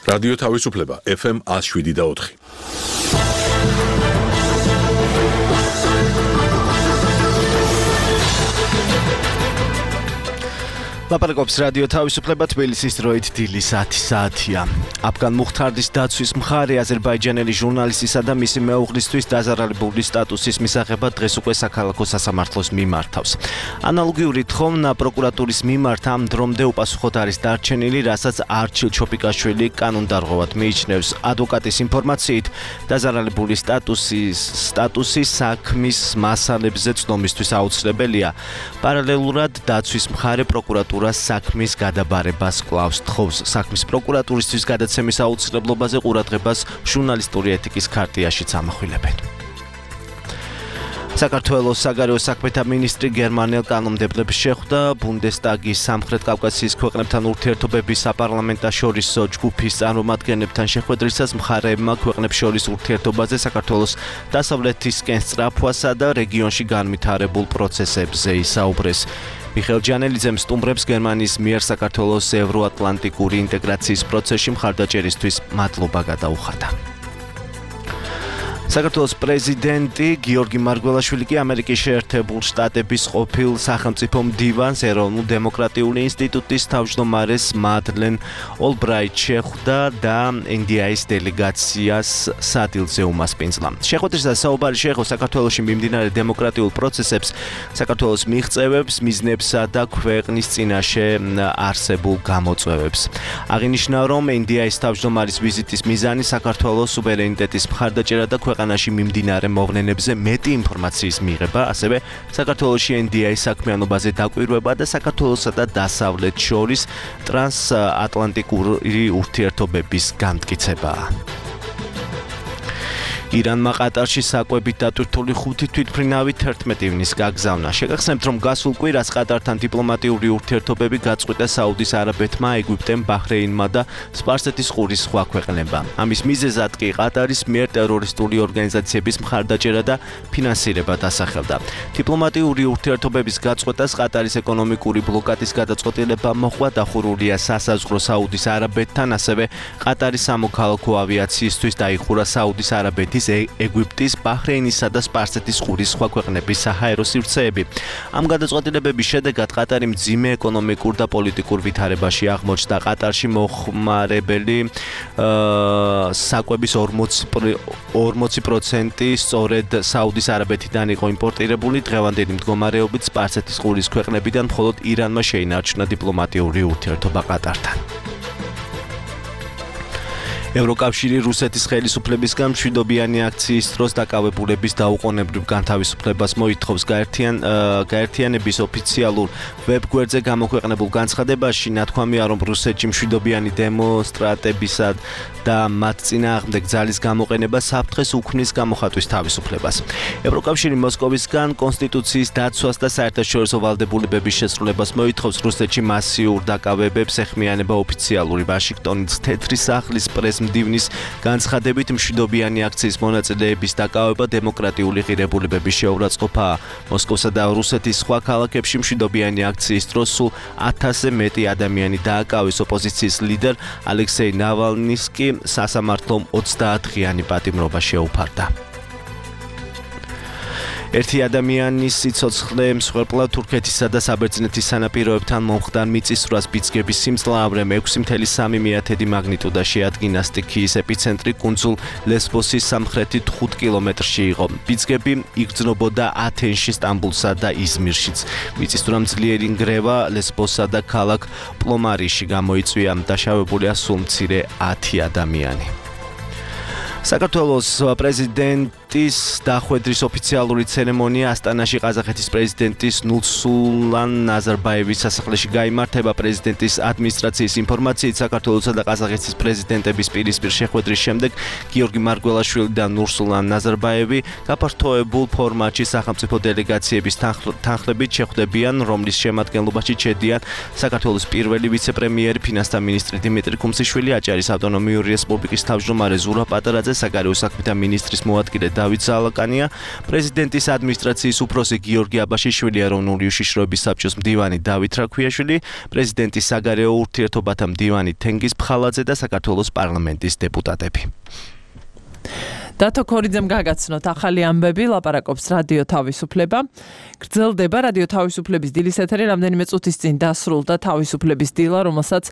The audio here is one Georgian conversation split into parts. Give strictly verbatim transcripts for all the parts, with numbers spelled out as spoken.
რადიო თავისუფლება ეფ ემ one oh seven და four. ლაპარაკობს რადიო თავისუფლება თბილისის დროით დილის ათი საათია. აფგან მუხთარდის დაცვის მხარე აზერბაიჯანელი ჟურნალისტისა და მისი მეუღლისთვის დაზარალებული სტატუსის მისაღებად დღეს უკვე საქალაქო სასამართლოს მიმართავს. ანალოგიური თხოვნა პროკურატურის მიმართ ამ დრომდე უპასუხოდ არის დარჩენილი, რასაც არჩილ ჩოპიკაშვილი კანონდარღვევად მიიჩნევს. ადვოკატის ინფორმაციით, დაზარალებული სტატუსის სტატუსი საქმის მასალებზე ცნომისთვის აუცილებელია. პარალელურად დაცვის მხარე პროკურატურის საქმის გადაბარებას კვლავს თხოვს. საქმის პროკურატურისთვის გადაცემის აუცილებლობაზე ყურადღებას ჟურნალისტური ეთიკის ქარტიაშიც ამახვილებენ. საქართველოს საგარეო საქმეთა მინისტრი გერმანელ კანონმდებლებს შეხვდა ბუნდესტაგის სამხრეთ კავკასიის ქვეყნებთან ურთიერთობების საპარლამენტაშორისო ჯგუფის წარმომადგენლებთან შეხვედრისას მხარეებმა ქვეყნებს შორის ურთიერთობაზე საქართველოს დასავლეთისკენ სწრაფვასა და რეგიონში განვითარებულ პროცესებზე ისაუბრეს. მიხეილ ჯანელიძემ სტუმრებს გერმანიის მიერ საქართველოს ევროატლანტიკური ინტეგრაციის პროცესში მხარდაჭერისთვის მადლობა გადაუხადა. საქართველოს პრეზიდენტი გიორგი მარგველაშვილი კი ამერიკის შეერთებულ შტატების ყოფილ სახელმწიფო მდივანს ეროვნულ დემოკრატიული ინსტიტუტის თავმჯდომარეს მადლენ ოლბრაიტს შეხვდა და ენ დი აის დელეგაციას სადილზე უმასპინძლა. შეხვედრისას საუბარი შეეხო საქართველოში მიმდინარე დემოკრატიულ პროცესებს, საქართველოს მიღწევებს, მიზნებსა და ქვეყნის წინაშე არსებულ გამოწვევებს. აღინიშნა, რომ ენ დი აის თავმჯდომარის ვიზიტის მიზანი საქართველოს სუვერენიტეტის მხარდაჭერა და ქვეყანაში მიმდინარე მოვლენებზე მეტი ინფორმაციის მიღება, ასევე საქართველოში ენ დი აის საქმიანობაზე დაკვირვება და საქართველოსა და დასავლეთს შორის ტრანსატლანტიკური ურთიერთობების განმტკიცებაა. ირანმა ყატარში საკვებით დატვირთული ხუთი თვითმფრინავი თერთმეტი ივნის გაგზავნა. შეგახსენებთ, რომ გასულ კვირას ყატართან დიპლომატიური ურთიერთობები გაწყვიტა საუდის არაბეთმა, ეგვიპტემ, ბაჰრეინმა და სპარსეთის ყურის სხვა ქვეყნებმა. ამის მიზეზად კი ყატარის მიერ ტერორისტული ორგანიზაციების მხარდაჭერა და ფინანსირება დასახელდა. დიპლომატიური ურთიერთობების გაწყვეტას ყატარის ეკონომიკური ბლოკადის გადაწყვეტილება მოჰყვა, დახურულია სასაზღვრო საუდის არაბეთთან, ასევე ყატარის სამოქალაქო ავიაციისთვის დაიხურა საუდის არაბეთის ეგვიპტის, ბაჰრეინისა და სპარსეთის ყურის სხვა ქვეყნების საჰაერო სივრცეები. ამ გადაწყვეტილებების შედეგად ყატარი მძიმე ეკონომიკურ და პოლიტიკურ ვითარებაში აღმოჩნდა. ყატარში მოხმარებელი საკვების ორმოცი პროცენტი სწორედ საუდის არაბეთიდან იყო იმპორტირებული. დღევანდელი მდგომარეობით სპარსეთის ყურის ქვეყნებიდან მხოლოდ ირანმა შეინარჩუნა დიპლომატიური ურთიერთობა ყატართან. ევროკავშირი რუსეთის ხელისუფლებისგან მშვიდობიანი აქციის დროს დაკავებულების დაუყოვნებლივ განთავისუფლებას მოითხოვს. გაერთიანების ოფიციალურ ვებგვერდზე გამოქვეყნებულ განცხადებაში ნათქვამია, რომ რუსეთში მშვიდობიანი დემონსტრანტებისა და მათ წინააღმდეგ ძალის გამოყენება საფრთხეს უქმნის გამოხატვის თავისუფლებას. ევროკავშირი მოსკოვისგან კონსტიტუციის დაცვას და საერთაშორისო ვალდებულებების შესრულებას მოითხოვს. რუსეთში მასიურ დაკავებებს ეხმიანება ოფიციალური ვაშინგტონის თეთრი სახლის პრეს მდივნის განცხადებით, მშვიდობიანი აქციის მონაწილეების დაკავება დემოკრატიული ღირებულებების შეურაცხყოფაა. მოსკოვსა და რუსეთის სხვა ქალაქებში მშვიდობიანი აქციის დროს სულ ათასზე მეტი ადამიანი დააკავეს. ოპოზიციის ლიდერ ალექსეი ნავალნის კი სასამართლომ ოცდაათდღიანი პატიმრობა შეუფარდა. ერთი ადამიანის სიცოცხლე მსხვერპლად თურქეთისა და საბერძნეთის სანაპიროებთან მომხდარ მიწისძვრას ბიძგების სიმძლავრემ ექვსი კoma სამი მაგნიტუდაში ადგინა. სტიქიის ეპიცენტრი კუნძულ ლესბოსის სამხრეთით ხუთ კილომეტრში იყო. ბიძგები იგრძნობოდა ათენში, სტამბულსა და იზმირშიც. მიწისძვრამ ძლიერი ნგრევა ლესბოსსა და ქალაქ პლომარიში გამოიწვია. დაშავებულია სულ მცირე ათი ადამიანი. საქართველოს პრეზიდენტის დახვედრის ოფიციალური ცერემონია ასტანაში ყაზახეთის პრეზიდენტის ნურსულტან ნაზარბაევის სასახლეში გაიმართება. პრეზიდენტის ადმინისტრაციის ინფორმაციით, საქართველოსა და ყაზახეთის პრეზიდენტების პირისპირ შეხვედრის შემდეგ გიორგი მარგველაშვილი და ნურსულტან ნაზარბაევი გაფართოებულ ფორმატში სახელმწიფო დელეგაციების თანხლებით შეხვდებიან, რომლის შემადგენლობაში ჩედიან საქართველოს პირველი ვიცე-პრემიერი, ფინანსთა მინისტრი დიმიტრი კუმსიშვილი, აჭარის ავტონომიური რესპუბლიკის თავმჯდომარე ზურაბ პატარაძე, საგარეო საქმეთა მინისტრის მოადგილე დავით ზალაკანია, პრეზიდენტის ადმინისტრაციის უფროსი გიორგი აბაშიშვილი, ეროვნული უშიშროების საბჭოს მდივანი დავით რაქვიაშვილი, პრეზიდენტის საგარეო ურთიერთობათა მდივანი თენგიზ ფხალაძე და საქართველოს პარლამენტის დეპუტატები. დათო ქორიძემ გაგაცნოთ ახალი ამბები, ლაპარაკობს რადიო თავისუფლება. გრძელდება რადიო თავისუფლების დილის ეთერი, რამდენიმე წუთის წინ დასრულდა თავისუფლების დილა, რომელსაც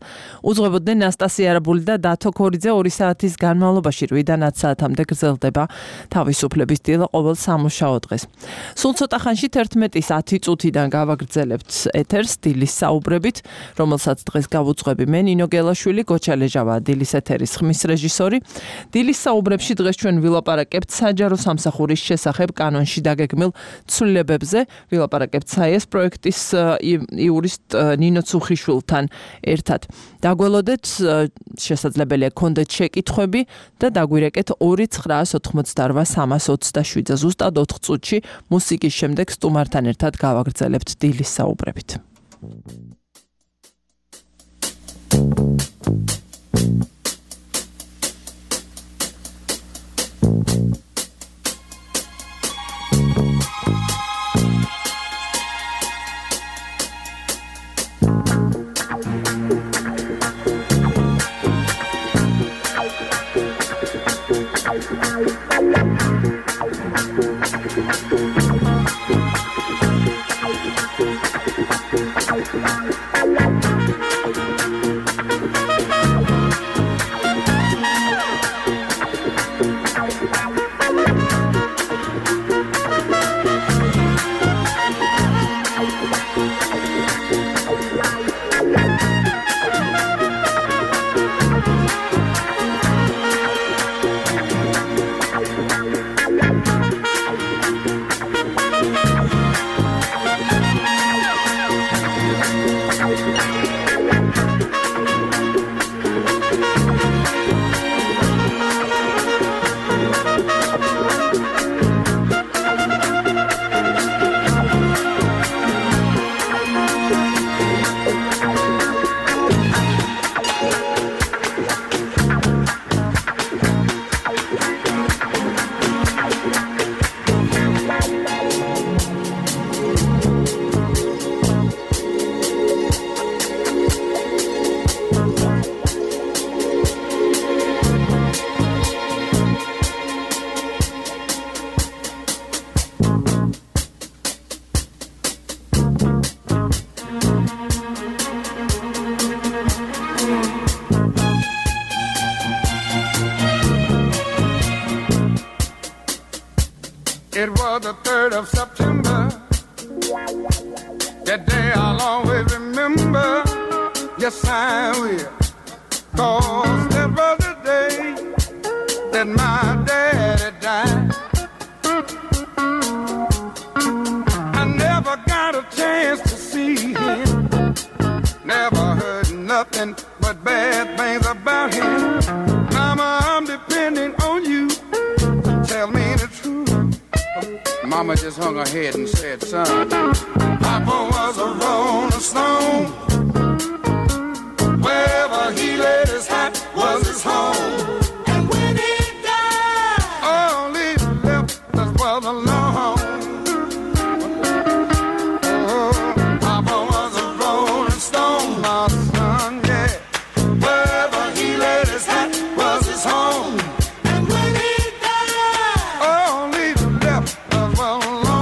უძღვებოდნენ ნასტასია არაბული და დათო ქორიძე. ორი საათის განმავლობაში რვიდან ათ საათამდე გრძელდება თავისუფლების დილა ყოველ სამუშაო დღეს. სულ ცოტა ხანში თერთმეტის ათი წუთიდან გავაგრძელებთ ეთერს დილის საუბრებით, რომელსაც დღეს გავუძღვები მე, ნინო გელაშვილი, გოჩა ლეჟავა, დილის ეთერის ხმის რეჟისორი. დილის საუბრებში დღეს ჩვენ ვილაპარაკებთ საჯარო სამსახურის შესახებ კანონში დაგეგმილ ცვლილებებზე, ვილაპარაკებთ საიეს პროექტის იურისტ ნინო ცუხიშვილთან ერთად. დაგველოდეთ, შესაძლებელია გქონდეთ შეკითხვები და დაგვირეკეთ ორი ცხრაას ოთხმოცდარვა სამას ოცდაშვიდზე. ზუსტად ოთხ წუთში მუსიკის შემდეგ სტუმართან ერთად გავაგრძელებთ დილის საუბრებით. It was the third of September. That day I'll always remember. Yes, I will. 'Cause that was the day that my daddy died. I never got a chance to see him. Never heard nothing but bad things about him. Mama, I'm depending on you. Tell me the truth. Mama just hung her head and said, son, Papa was a rolling stone. Wherever he laid his hat was his home. And when he died, all he left us was alone. Oh, Papa was a rolling stone, my son, yeah. Wherever he laid his hat was his home. And when he died, all he left us was alone.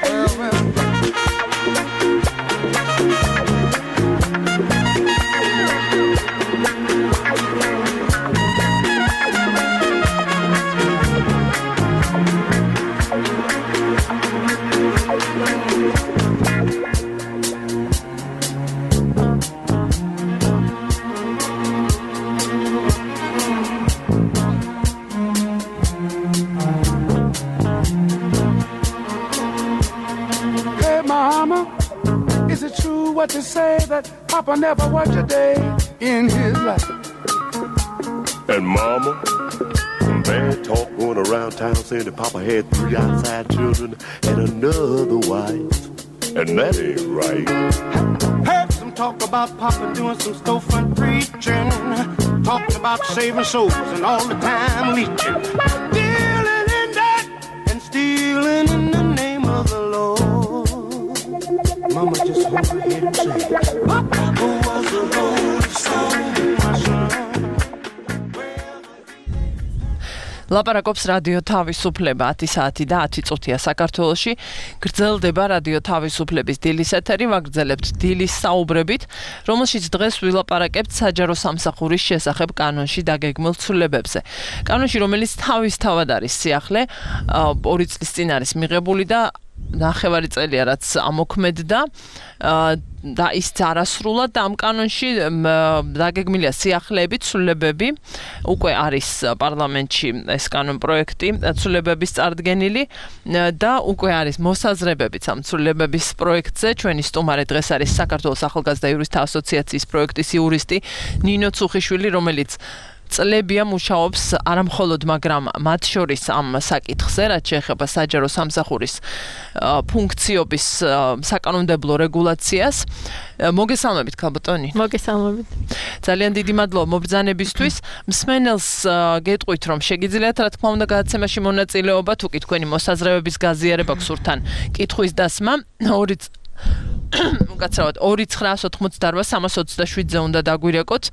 Well, well. Hey, Mama, is it true what they say that Papa never worked a day in his life? And Mama, some bad talk going around town saying that Papa had three outside children and another wife. And that ain't right. Heard some talk about Papa doing some storefront preaching. talking about saving souls and all the time leeching, dealing in that and stealing in the name of the Lord. Mama, just hold her head and say, who was the Lord song, my son? ლაპარაკობს რადიო თავისუფლება ათი საათი და ათი წუთია საქართველოში. გრძელდება რადიო თავისუფლების დილის ეთერი, ვაგრძელებთ დილის საუბრებით, რომელშიც დღეს ვილაპარაკებთ საჯარო სამსახურის შესახებ კანონში დაგეგმილ ცვლილებებზე. კანონში, რომელიც თავისთავად არის სიახლე, ორი წლის წინ არის მიღებული და ნახევარი წელია რაც ამოქმედდა და ის არასრულად და ამ კანონში დაგეგმილია სიახლეები, ცვლილებები, უკვე არის პარლამენტში ეს კანონ პროექტი ცვლილებების წარდგენილი და უკვე არის მოსაზრებებიც ამ ცვლილებების პროექტზე. ჩვენი სტუმარი დღეს არის საქართველოს ახალგაზრდა იურისტთა ასოციაციის პროექტის იურისტი ნინო ცუხიშვილი, რომელიც წლებია მუშაობს არამხოლოდ, მაგრამ მათ შორის ამ საკითხზე, რაც შეეხება საჯარო სამსახურის ფუნქციობის საკანონმდებლო რეგულაციას. მოგესალმებით, ქალბატონი. მოგესალმებით. ძალიან დიდი მადლობა მობრძანებისთვის. მსმენელს გეტყვით, რომ შეგიძლიათ, რა თქმა უნდა, გადაცემაში მონაწილეობა, თუ კი თქვენი მოსაზრებების გაზიარება გსურთ ან კითხვის დასმა, ორი უკაცრავად ორი ცხრაას ოთხმოცდაოთხ სამას ოცდაშვიდზე უნდა დაგვირეკოთ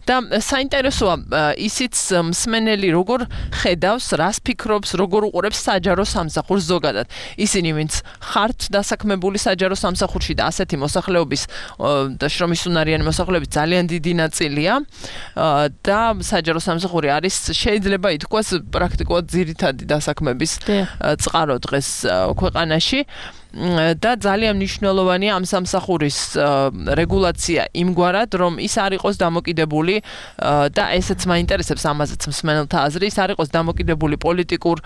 და საინტერესოა ისიც მსმენელი როგორ ხედავს, რას ფიქრობს, როგორ უყურებს საჯარო სამსახურს ზოგადად. ისინი, ვინც ხართ დასაქმებული საჯარო სამსახურში და ასეთი მოსახლეობის და შრომის უნარიანი მოსახლეობის ძალიან დიდი ნაწილია და საჯარო სამსახური არის, შეიძლება ითქვას, პრაქტიკულად ძირითადი დასაქმების წყარო დღეს ქვეყანაში. და ძალიან მნიშვნელოვანია ამ სამსახურის რეგულაცია იმგვარად, რომ ის არ იყოს დამოკიდებული და ესეც მაინტერესებს ამაზეც მსმენელთა აზრი, ის არ იყოს დამოკიდებული პოლიტიკურ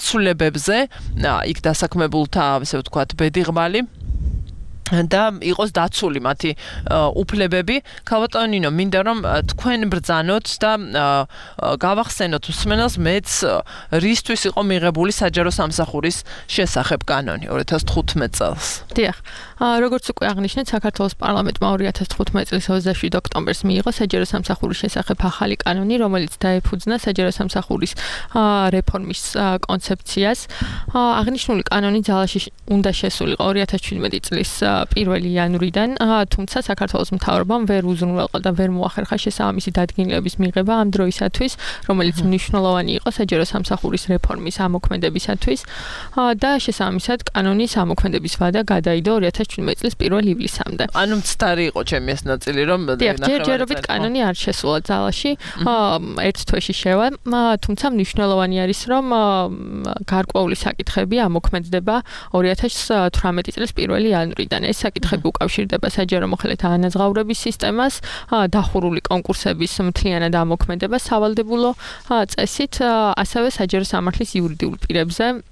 ცვლილებებზე, იქ დასაქმებულთა, ასე ვთქვათ, ბედიღმალი და იყოს დაცული მათი უფლებები. ქალბატონო ნინო, მინდა რომ თქვენ ბრძანოთ და გავახსენოთ მსმენელს მეც რისთვის იყო მიღებული საჯარო სამსახურის შესახებ კანონი ორი ათას თხუთმეტ წელს. დიახ. როგორც უკვე აღნიშნეთ, საქართველოს პარლამენტმა ორი ათას თხუთმეტ წლის ოცდაშვიდი ოქტომბერს მიიღო საჯარო სამსახურის შესახებ ახალი კანონი, რომელიც დაეფუძნა საჯარო სამსახურის რეფორმის კონცეფციას. აღნიშნული კანონი ძალაში უნდა შესულიყო ორი ათას ჩვიდმეტი წლის პირველი იანვრიდან, თუმცა საქართველოს მთავრობამ ვერ უზრუნველყო და ვერ მოახერხა შესაბამისი დადგენილების მიღება ამ დროისათვის, რომელიც მნიშვნელოვანი იყო საჯარო სამსახურის რეფორმის ამოქმედებისათვის და შესაბამისად კანონის ამოქმედების ვადა გადაიდო ორი ათას ჩვიდმეტი წლის პირველ ივლისამდე. ანუ მცდარი იყო ჩემი ეს ნაწილი, რომ ჯერჯერობით კანონი არ შესულა ძალაში, ერთ თვეში შევა, თუმცა მნიშვნელოვანი არის, რომ გარკვეული საკითხები ამოქმედდება ორი ათას თვრამეტი წლის პირველი იანვრიდან. ეს საკითხები უკავშირდება საჯარო მოხელეთა ანაზღაურების სისტემას, დახურული კონკურსების მთლიანად ამოქმედებას სავალდებულო წესით, ასევე საჯარო სამართლის იურიდიულ პირებზე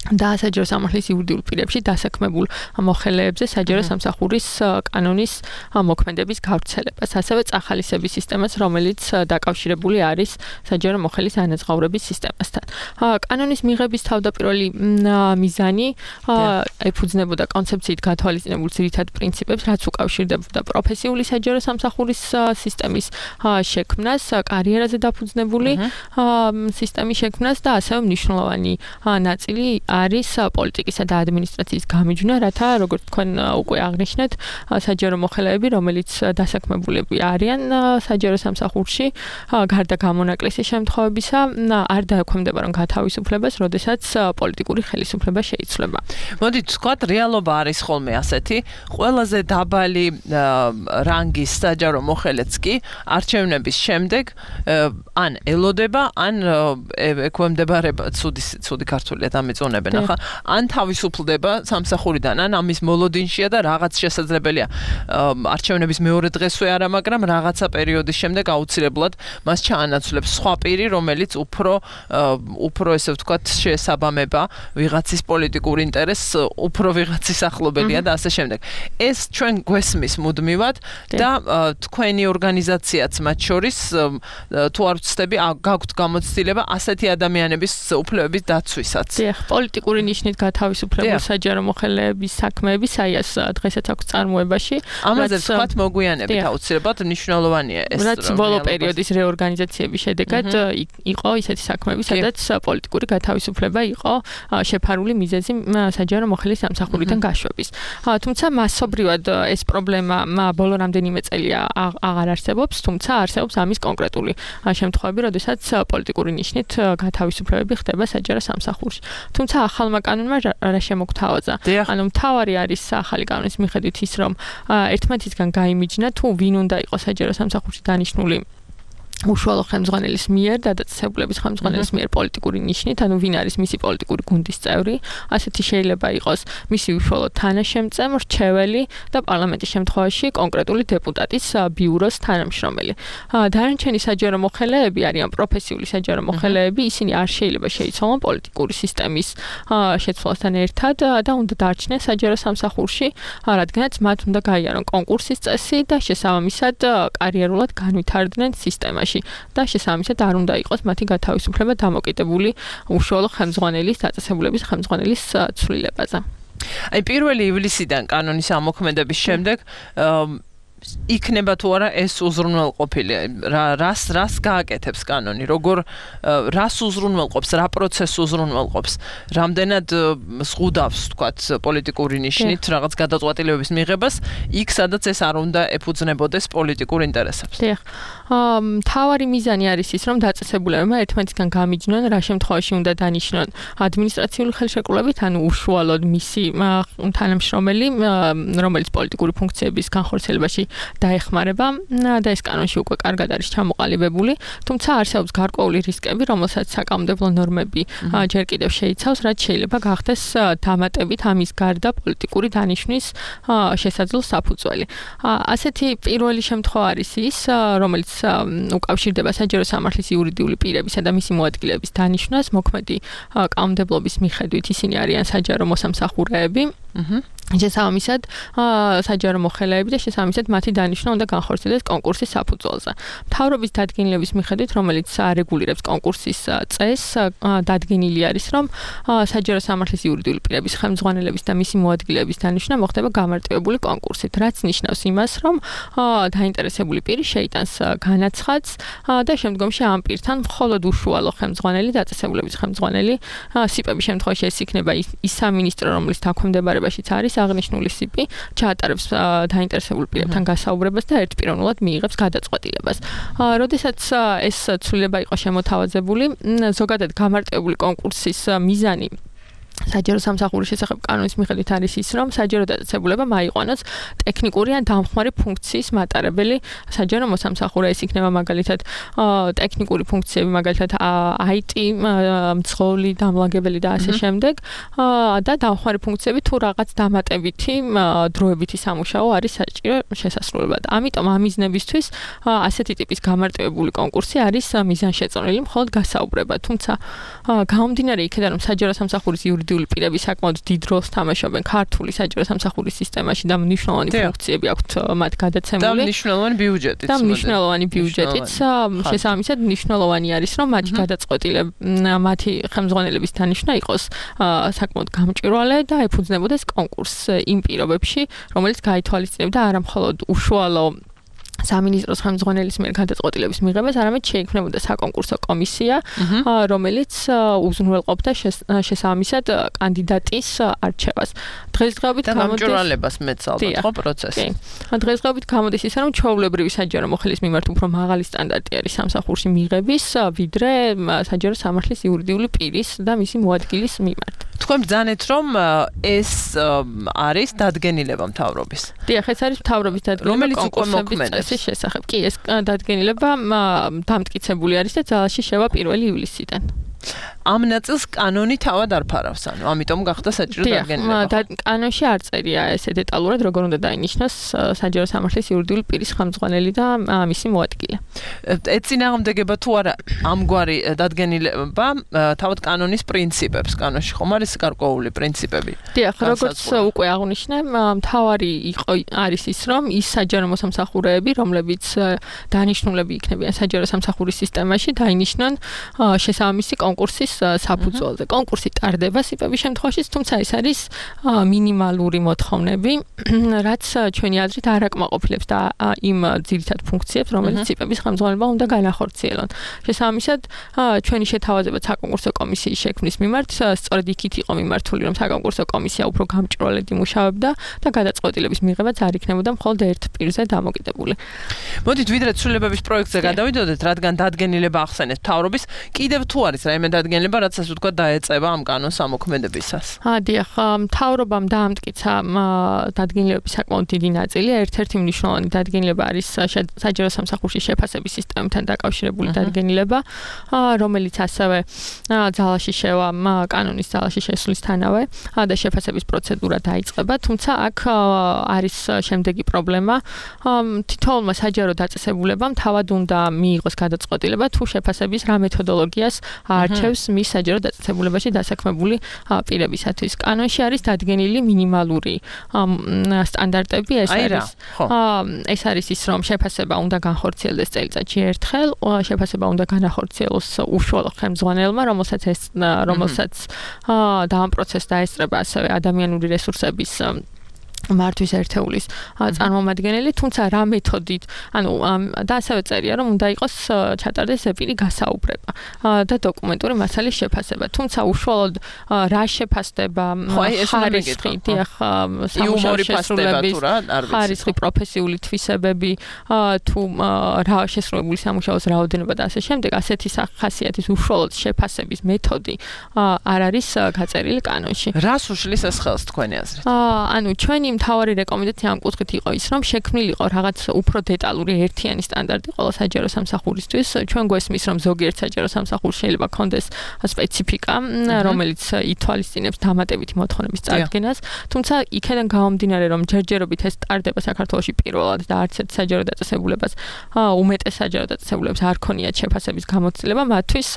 და საჯარო სამართლის იურიდიულ პირებში დასაქმებულ მოხელეებზე საჯარო სამსახურის კანონის მოქმედების გავრცელებას, ასევე წახალისების სისტემას, რომელიც დაკავშირებული არის საჯარო მოხელის ანაზღაურების სისტემასთან. კანონის მიღების თავდაპირველი მიზანი ეფუძნებოდა კონცეფციით გათვალისწინებულ ძირითად პრინციპებს, რაც უკავშირდებოდა პროფესიული საჯარო სამსახურის სისტემის შექმნას, კარიერაზე დაფუძნებული სისტემის შექმნას და ასევე მნიშვნელოვანი ნაწილი არის პოლიტიკისა და ადმინისტრაციის გამიჯვნა, რათა როგორც თქვენ უკვე აღნიშნეთ, საჯარო მოხელეები, რომელიც დასაქმებულები არიან საჯარო სამსახურში, გარდა გამონაკლისის შემთხვევებისა, არ დაექვემდება რომ გათავისუფლებას, როდესაც პოლიტიკური ხელისუფლება შეიცვლება. მოდით ვთქვათ, რეალობა არის ხოლმე ასეთი, ყველაზე დაბალი რანგის საჯარო მოხელეც კი არჩევნების შემდეგ ან ელოდება, ან ექვემდებარება, ცუდი ცუდი ქართულია დამეწონება. ახლა ან თავისუფლდება სამსახურიდან, ან ამის მოლოდინშია და რაღაც შესაძლებელია არჩევნების მეორე დღესვე არა, მაგრამ რაღაცა პერიოდის შემდეგ აუცილებლად მას ჩაანაცვლებს სხვა პირი, რომელიც უფრო უფრო ესე ვთქვათ შეესაბამება ვიღაცის პოლიტიკურ ინტერესს, უფრო ვიღაცის ახლობელია და ასე შემდეგ. ეს ჩვენ გვესმის მუდმივად და თქვენი ორგანიზაციაც მათ შორის თუ არ ვცდები, გაგვთ გამოცდილება ასეთი ადამიანების უფლებების დაცვისაც. დიახ, პოლიტიკური ნიშნით გათავისუფლებულ საჯარო მოხელეების საქმეების აიას დღესაც აქვს წარმოებაში. ამაზე ვთქვათ მოგვიანებით აუცილებლად მნიშვნელოვანია ეს. რაც ბოლო პერიოდის რეორგანიზაციების შედეგად იყო ისეთი საქმეები, სადაც პოლიტიკური გათავისუფლება იყო შეფარული მიზეზი საჯარო მოხელის სამსახურიდან გაშვების. თუმცა მასობრივად ეს პრობლემა ბოლო რამდენიმე წელია აღარ არსებობს, თუმცა არსებობს ამის კონკრეტული შემთხვევები, როდესაც პოლიტიკური ნიშნით გათავისუფლებები ხდება საჯარო სამსახურში. თუმცა ახალმა კანონმა რა შემოგთავაზა? ანუ მთავარი არის ახალი კანონის მიხედვით ის, რომ ერთმანეთისგან გაიმიჯნა თუ ვინ უნდა იყოს საჯარო სამსახურში დანიშნული უშუალო ხელმძღვანელის მიერ და დაწესებულების ხელმძღვანელის მიერ პოლიტიკური ნიშნით, ანუ ვინ არის მისი პოლიტიკური გუნდის წევრი, ასეთი შეიძლება იყოს მისი უშუალო თანაშემწე, მრჩეველი და პარლამენტის შემთხვევაში კონკრეტული დეპუტატის ბიუროს თანამშრომელი. დანარჩენი საჯარო მოხელეები არიან პროფესიული საჯარო მოხელეები, ისინი არ შეიძლება შეიცვალონ პოლიტიკური სისტემის შეცვლასთან ერთად და უნდა დარჩნენ საჯარო სამსახურში, რადგანაც მათ უნდა გაიარონ კონკურსის წესი და შესაბამისად კარიერულად განვითარდნენ სისტემაში. და შესაბამისად არ უნდა იყოს მათი გათავისუფლება დამოკიდებული უშუალო ხელმძღვანელის დაწესებულების ხელმძღვანელის ცვლილებაზე. აი პირველი ივლისიდან კანონის ამოქმედების შემდეგ იქნება თუ არა ეს უზრუნველყოფილი რას რას გააკეთებს კანონი როგორ რას უზრუნველყოფს რა პროცესს უზრუნველყოფს რამდენად ზღუდავს თქვათ პოლიტიკური ნიშნით რაღაც გადაწყვეტილებების მიღებას იქ სადაც ეს არ უნდა ეფუძნებოდეს პოლიტიკურ ინტერესებს. დიახ. მთავარი მიზანი არის ის რომ დაწესებულებმა ერთმანეთისგან გამიჯნონ რა შემთხვევაში უნდა დანიშნონ ადმინისტრაციული ხელშეკრულებით ანუ უშუალოდ მისი თანამშრომელი რომელიც პოლიტიკური ფუნქციების განხორციელებაში დაეხმარება და ეს კანონში უკვე კარგად არის ჩამოყალიბებული, თუმცა არსებობს გარკვეული რისკები, რომელსაც საკანონმდებლო ნორმები ჯერ კიდევ შეიცავს, რაც შეიძლება გახდეს დამატებით ამის გარდა პოლიტიკური დანიშვნის შესაძლო საფუძველი. ასეთი პირველი შემთხვევა არის ის, რომელიც უკავშირდება საჯარო სამართლის იურიდიული პირებისა და მისი მოადგილეების დანიშვნას, მოქმედი კანონმდებლობის მიხედვით ისინი არიან საჯარო მოსამსახურეები. შესაბამისად, საჯარო მოხელეები და შესაბამისად მათი დანიშვნა უნდა განხორციელდეს კონკურსის საფუძველზე. მთავრობის დადგენილების მიხედვით, რომელიც არეგულირებს კონკურსის წესს, დადგენილი არის, რომ საჯარო სამართლის იურიდიული პირების ხელმძღვანელების და მისი მოადგილეების დანიშვნა მოხდება გამარტივებული კონკურსით, რაც ნიშნავს იმას, რომ დაინტერესებული პირი შეიტანს განაცხადს და შემდგომში ამ პირთან მხოლოდ უშუალო ხელმძღვანელი, დაწესებულების ხელმძღვანელი, სიპების შემთხვევაში ეს იქნება ის სამინისტრო, რომლის დაქვემდებარებაშიც არის აღნიშნული სიპი, ჩაატარებს დაინტერესებულ პირებთან გასაუბრებას და ერთპიროვნულად მიიღებს გადაწყვეტილებას. როდესაც ეს ცვლილება იყო შემოთავაზებული, ზოგადად გამარტივებული კონკურსის მიზანი საჯარო სამსახურის შესახებ კანონის მიხედვით არის ის, რომ საჯარო დაწესებულება მაიყვანოს ტექნიკური ან დამხმარე ფუნქციის მატარებელი საჯარო მოსამსახურე. ეს იქნება მაგალითად ტექნიკური ფუნქციები, მაგალითად აი ტი, მძღოლი, დამლაგებელი და ასე შემდეგ და დამხმარე ფუნქციები თუ რაღაც დამატებითი დროებითი სამუშაო არის საჭირო შესასრულებლად. ამიტომ ამ მიზნებისთვის ასეთი ტიპის გამარტივებული კონკურსი არის მიზანშეწონილი მხოლოდ გასაუბრება. თუმცა გამომდინარე იქიდან, რომ საჯარო სამსახურის იურიდიული პირები საკმაოდ დიდ როლს თამაშობენ ქართული საჯარო სამსახურის სისტემაში და მნიშვნელოვანი ფუნქციები აქვთ მათ გადაცემული. და მნიშვნელოვანი ბიუჯეტიც. და მნიშვნელოვანი ბიუჯეტიც. შესაბამისად, მნიშვნელოვანი არის, რომ მათი გადაწყვეტილება, მათი ხელმძღვანელების დანიშვნა იყოს საკმაოდ გამჭვირვალე და ეფუძნებოდეს კონკურსს იმ პირობებში, რომელიც გაითვალისწინებდა არა მხოლოდ უშუალო სამინისტროს ხელმძღვანელის მიერ გადაწყვეტილების მიღებას, არამედ შეიქმნებოდა საკონკურსო კომისია, რომელიც უზრუნველყოფდა შესაბამისად კანდიდატის არჩევას. დღესდღეობით გამჭვირვალებას მეცალდა ხო პროცესი. დღესდღეობით გამოდის ისე, რომ ჩვეულებრივი საჯარო მოხელის მიმართ უფრო მაღალი სტანდარტი არის სამსახურში მიღების, ვიდრე საჯარო სამართლის იურიდიული პირის და მისი მოადგილის მიმართ. თქვენ ბრძანეთ, რომ ეს არის დადგენილება მთავრობის. დიახ, ეს არის მთავრობის დადგენილება კონკურსების შესახებ. კი, ეს დადგენილება დამტკიცებული არის და ძალაში შევა პირველი ივლისიდან. ამ ნაწილს კანონი თავად არ ფარავს, ანუ ამიტომ გახდა საჭირო დადგენილება. დიახ, კანონში არ წერია ესე დეტალურად, როგორ უნდა დაინიშნოს საჯარო სამართლის იურიდიული პირის ხელმძღვანელი და მისი მოადგილე. ეწინააღმდეგება თუ არა ამგვარი დადგენილება თავად კანონის პრინციპებს, კანონში ხომ არის გარკვეული პრინციპები? დიახ, როგორც უკვე აღნიშნე, მთავარი იყო არის ის, რომ ის საჯარო მოსამსახურეები, რომლებიც დანიშნულები იქნებიან საჯარო სამსახურის სისტემაში, დაინიშნონ შესაბამისი კონკურსის საფუძველზე. კონკურსი ტარდება სიპების შემთხვევაში, თუმცა ეს არის მინიმალური მოთხოვნები, რაც ჩვენი აზრით არ აკმაყოფილებს და იმ ძირითად ფუნქციებს, რომელიც სიპების ხელმძღვანელობა უნდა განახორციელონ. შესაბამისად, ჩვენი შეთავაზება საკონკურსო კომისიის შექმნის მიმართ სწორედ იქით იყო მიმართული, რომ საკონკურსო კომისია უფრო გამჭრვალედ იმუშავებდა და გადაწყვეტილების მიღებაც არ იქნებოდა მხოლოდ ერთ პირზე დამოკიდებული. მოდით ვიდრე ცვლილებების პროექტზე გადავიდოდეთ, რადგან დადგენილება ახსენეთ მთავრობის, კიდევ თუ არის რაიმე დადგენილება, რაც ასე ვთქვათ დაეწევა ამ კანონს ამოქმედებისას. დიახ, მთავრობამ დაამტკიცა დადგენილებების საკმაოდ დიდი ნაწილი. ერთ-ერთი მნიშვნელოვანი დადგენილება არის საჯარო სამსახურში შეფასების სისტემთან დაკავშირებული დადგენილება, რომელიც ასევე ძალაში შევა კანონის ძალაში შესვლისთანავე და შეფასების პროცედურა დაიწყება, თუმცა აქ არის შემდეგი პრობლემა. თითოეულმა საჯარო დაწესებულებამ თავად უნდა მიიღოს გადაწყვეტილება თუ შეფასების რა მეთოდოლოგიას აარჩევს მის საჯარო დაწესებულებაში დასაქმებული პირებისათვის. კანონში არის დადგენილი მინიმალური სტანდარტები, ეს არის ეს არის ის, რომ შეფასება უნდა განხორციელდეს წელიწადში ერთხელ, შეფასება უნდა განახორციელოს უშუალო ხელმძღვანელმა, რომელსაც ეს რომელსაც და ამ პროცესს დაესწრება ასევე ადამიანური რესურსების მართვის ერთეულის წარმომადგენელი, თუმცა რა მეთოდით, ანუ და ასევე წერია, რომ უნდა იყოს ჩატარდეს ეპირი გასაუბრება და დოკუმენტური მასალის შეფასება. თუმცა უშუალოდ რა შეფასდება, ხარისხი, დიახ, სამუშაო შესრულების ხარისხი, პროფესიული თვისებები, თუ რა შესრულებული სამუშაოს რაოდენობა და ასე შემდეგ, ასეთი ხასიათის უშუალოდ შეფასების მეთოდი არ არის გაწერილი კანონში. რას უშლის ეს ხელს თქვენი აზრით? ანუ ჩვენი მთავარი რეკომენდაცია ამ კუთხით იყო ის, რომ შექმნილიყო რაღაც უფრო დეტალური ერთიანი სტანდარტი ყველა საჯარო სამსახურისთვის. ჩვენ გვესმის, რომ ზოგიერთ საჯარო სამსახურში შეიძლება ქონდეს სპეციფიკა, რომელიც ითვალისწინებს დამატებითი მოთხოვნების წარდგენას, თუმცა იქედან გამომდინარე, რომ ჯერჯერობით ეს ტარდება საქართველოში პირველად და არც ერთ საჯარო დაწესებულებას, უმეტეს საჯარო დაწესებულებას არ ქონიათ შეფასების გამოცდილება, მათთვის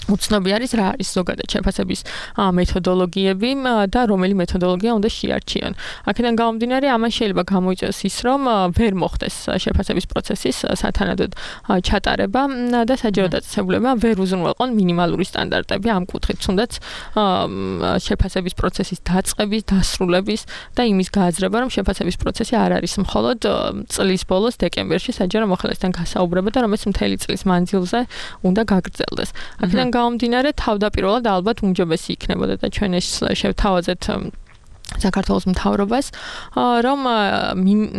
უცნობი არის რა არის ზოგადად შეფასების მეთოდოლოგიები და რომელი მეთოდოლოგია უნდა შეარჩიონ. აქედან გამომდინარე, ამან შეიძლება გამოიწვიოს ის, რომ ვერ მოხდეს შეფასების პროცესის სათანადოდ ჩატარება და საჯარო დაწესებულებამ ვერ უზრუნველყონ მინიმალური სტანდარტები ამ კუთხით, თუნდაც შეფასების პროცესის დაწყების, დასრულების და იმის გააზრება, რომ შეფასების პროცესი არ არის მხოლოდ წლის ბოლოს დეკემბერში საჯარო მოხელესთან გასაუბრება და რომელიც მთელი წლის მანძილზე უნდა გაგრძელდეს. აქედან გამომდინარე, თავდაპირველად ალბათ უმჯობესი იქნებოდა და ჩვენ ეს შევთავაზეთ საქართველოს მთავრობას, რომ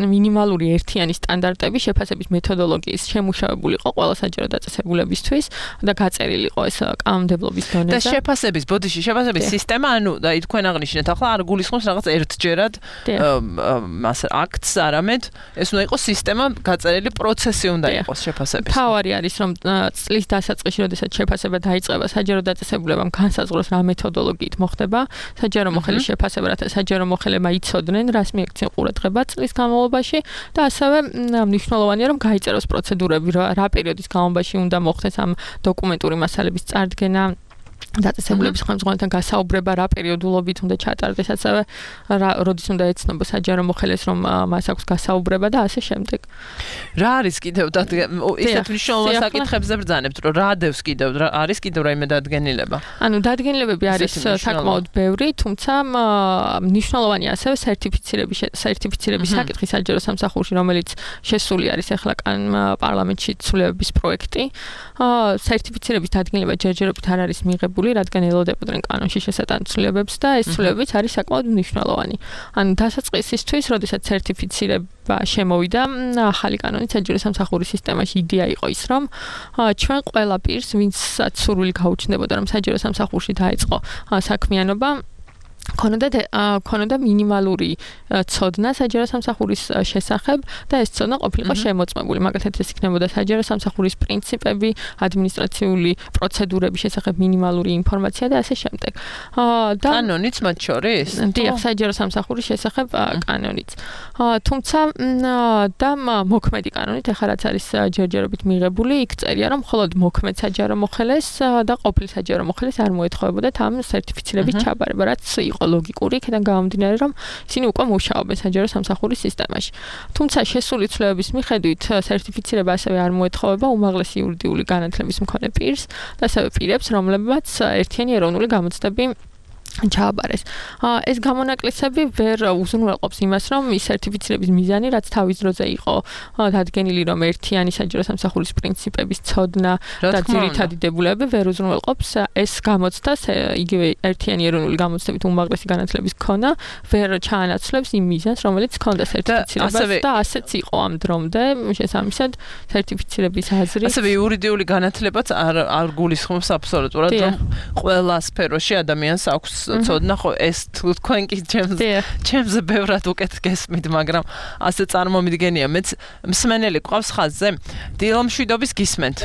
მინიმალური ერთიანი სტანდარტები შეფასების მეთოდოლოგიის შემუშავებულიყო ყველა საჯარო დაწესებულებისთვის და გაწერილიყო ეს კანონმდებლობის დონეზე. და შეფასების, ბოდიში შეფასების სისტემა, ანუ და თქვენ აღნიშნეთ, ახლა არ გულისხმობს რაღაც ერთჯერად მას აქტს, არამედ ეს უნდა იყოს სისტემა, გაწერილი პროცესი უნდა იყოს შეფასების. თავარი არის, რომ წლის დასაწყისში, როდესაც შეფასება დაიწყება, საჯარო დაწესებულებამ განსაზღვროს რა მეთოდოლოგიით მოხდება საჯარო მოხელის შეფასება, რათა საჯარო მოხელებმა იცოდნენ, რას მიექცნენ ყურადღება წლის განმავლობაში და ასევე მნიშვნელოვანია, რომ გაიწეროს პროცედურები, რა პერიოდის განმავლობაში უნდა მოხდეს ამ დოკუმენტური მასალების წარდგენა, დაწესებულების ხელმძღვანელთან გასაუბრება, რა პერიოდულობით უნდა ჩატარდეს, ასევე როდის უნდა ეცნობა საჯარო მოხელეს, რომ მას აქვს გასაუბრება და ასე შემდეგ. რა არის კიდევ ისეთ მნიშვნელოვან საკითხებზე ბრძანებთ, რომ რა დევს კიდევ, არის კიდევ რაიმე დადგენილება? ანუ დადგენილებები არის საკმაოდ ბევრი, თუმცა მნიშვნელოვანია ასევე სერტიფიცირების სერტიფიცირების საკითხი საჯარო სამსახურში, რომელიც შესული არის ახლა პარლამენტში ცვლილებების პროექტი. სერტიფიცირების დადგენილება ჯერჯერობით არ არის მიღებული, რადგან ელოდებოდნენ კანონში შესატან ცვლილებებს და ეს ცვლილებებიც არის საკმაოდ მნიშვნელოვანი. ანუ დასაწყისისთვის, როდესაც სერტიფიცირება შემოვიდა, ახალი კანონით საჯარო სამსახურის სისტემაში იდეა იყო ის, რომ ჩვენ ყველა პირს, ვინცაც სურვილი გაუჩნდებოდა, რომ საჯარო სამსახურში დაეწყო საქმიანობა, ქონოდა ქონოდა მინიმალური ცოდნა საჯარო სამსახურის შესახებ და ეს ცოდნა ყოფილიყო შემოწმებული. მაგალითად, ეს იქნებოდა საჯარო სამსახურის პრინციპები, ადმინისტრაციული პროცედურების შესახებ მინიმალური ინფორმაცია და ასე შემდეგ. და კანონიც მათ შორის? დიახ, საჯარო სამსახურის შესახებ კანონიც. თუმცა და მოქმედი კანონით, ახლა რაც არის ჯერჯერობით მიღებული, იქ წერია, რომ მხოლოდ მოქმედ საჯარო მოხელეს და ყოფილ საჯარო მოხელეს არ მოეთხოვებოდათ ამ სერტიფიცირების ჩაბარება, რაც იყო ლოგიკური, იქიდან გამომდინარე, რომ ისინი უკვე მუშაობენ საჯარო სამსახურის სისტემაში. თუმცა შესული ცვლილებების მიხედვით სერტიფიცირება ასევე არ მოეთხოვება უმაღლესი იურიდიული განათლების მქონე პირს და ასევე პირებს, რომლებმაც ერთიანი ეროვნული გამოცდები ჩააბარეს. ეს გამონაკლისები ვერ უზრუნველყოფს იმას, რომ ის სერტიფიცირების მიზანი, რაც თავის დროზე იყო დადგენილი, რომ ერთიანი საჯარო სამსახურის პრინციპების ცოდნა და ძირითადი დებულებები ვერ უზრუნველყოფს ეს გამოცდას, იგივე ერთიანი ეროვნული გამოცდებით უმაღლესი განათლების ქონა ვერ ჩაანაცვლებს იმ მიზანს, რომელიც ქონდა სერტიფიცირებას და ასეც იყო ამ დრომდე, შესაბამისად სერტიფიცირების აზრი. ასევე იურიდიული განათლებაც არ არ გულისხმობს აბსოლუტურად, რომ ყველა სფეროში ადამიანს აქვს ცოდნა, ხო ეს თქვენ კი ჩემს ჩემზე ბევრად უკეთ გესმით, მაგრამ ასე წარმომიდგენია. მეც მსმენელი ყავს ხაზზე. დილომშვიდობის გისმენთ.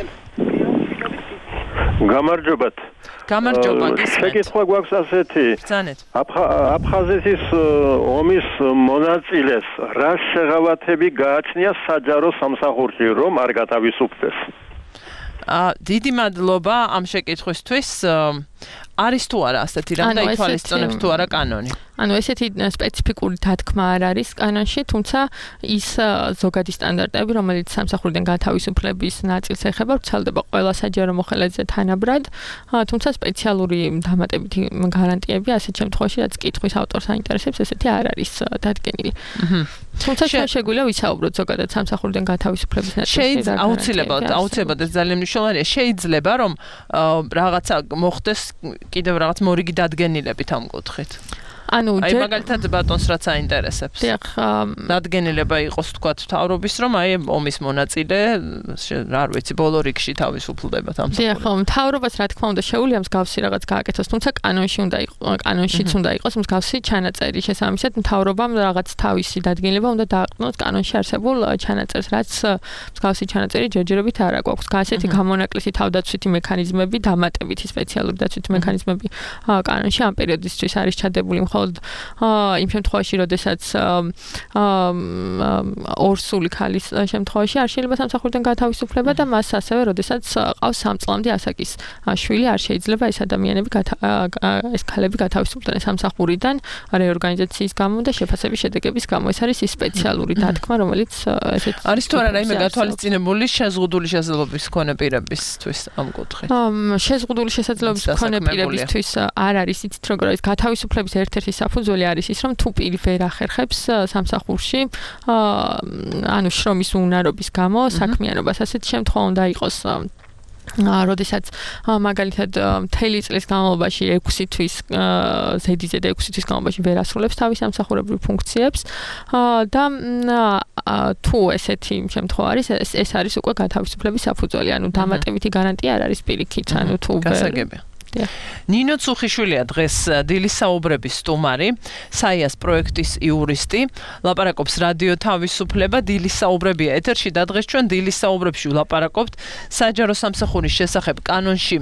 გამარჯობათ. გამარჯობა, გისმენთ. შეკითხვა გვაქვს ასეთი. ბრძანეთ. აფხაზეთის ომის მონაწილეს რა შეღავათები გააჩნია საჯარო სამსახურში, რომ არ გათავისუფლდეს? აა დიდი მადლობა ამ შეკითხვისთვის. არის თუ არა ასეთი რამ და ითვალისწინებს თუ არა კანონი? ანუ ესეთი სპეციფიკური დათქმა არ არის კანონში, თუმცა ის ზოგადი სტანდარტები, რომელიც სამსახურიდან გათავისუფლების ნაწილს ეხება, ვრცელდება ყველა საჯარო მოხელეზე თანაბრად, თუმცა სპეციალური დამატებითი გარანტიები ასეთ შემთხვევაში, რაც კითხვის ავტორს აინტერესებს, ესეთი არ არის დადგენილი. თუმცა შეგვიძლია ვისაუბროთ ზოგადად სამსახურიდან გათავისუფლების ნაწილში. შეიძლება აუცილებლად, აუცილებლად ეს ძალიან მნიშვნელოვანია. შეიძლება რომ რაღაცა მოხდეს კიდევ რაღაც მორიგი დადგენილებით ამ კუთხით. ანუ აი მაგალითად ბატონს რაც აინტერესებს. დიახ, დადგენილება იყოს თქვა მთავრობის, რომ აი ომის მონაწილე, რა ვიცი, ბოლო რიგში თავისუფლდება ამ საკითხში. დიახ, მთავრობას რა თქმა უნდა შეუძლია მსგავსი რაღაც გააკეთოს, თუმცა კანონში უნდა იყოს, კანონშიც უნდა იყოს მსგავსი ჩანაწერი. შესაბამისად, მთავრობამ რაღაც თავისი დადგენილება უნდა დააყენოს კანონში არსებულ ჩანაწერს, რაც მსგავსი ჩანაწერი ჯერჯერობით არ აქვს. ასეთი გამონაკლისი თავდაცვითი მექანიზმები, დამატებითი სპეციალური დაცვითი მექანიზმები კანონში ამ პერიოდისთვის არის ჩადებული. იმ შემთხვევაში, როდესაც ორსული ქალის შემთხვევაში არ შეიძლება სამსახურიდან გათავისუფლება და მას ასევე, როდესაც ყავს სამ წლამდე ასაკის შვილი, არ შეიძლება ეს ადამიანები ეს ქალები გათავისუფლდნენ სამსახურიდან რეორგანიზაციის გამო და შეფასების შედეგების გამო. ეს არის ის სპეციალური დათქმა, რომელიც ესეთ არის თუ არა რაიმე გათვალისწინებული შეზღუდული შესაძლებლობის მქონე პირებისთვის ამ კუთხით? შეზღუდული შესაძლებლობის მქონე პირებისთვის არ არის იცით როგორ არის გათავისუფლების ერთ-ერთი საფუძველი არის ის, რომ თუ პირი ვერ ახერხებს სამსახურში, ანუ შრომის უნარობის გამო საქმიანობას, ასეთ შემთხვევა უნდა იყოს როდესაც მაგალითად მთელი წლის განმავლობაში ექვსი თვის ზედიზე და ექვსი თვის განმავლობაში ვერ ასრულებს თავის სამსახურებრივ ფუნქციებს და თუ ესეთი შემთხვევა არის, ეს არის უკვე გათავისუფლების საფუძველი, ანუ დამატებითი გარანტია არ არის პირიქით, ანუ თუ ვერ ნინო ცუხიშვილია დღეს დილის საუბრების სტუმარი, საიას პროექტის იურისტი, ლაპარაკობს რადიო თავისუფლება, დილის საუბრებია ეთერში და დღეს ჩვენ დილის საუბრებში ვლაპარაკობთ საჯარო სამსახურის შესახებ კანონში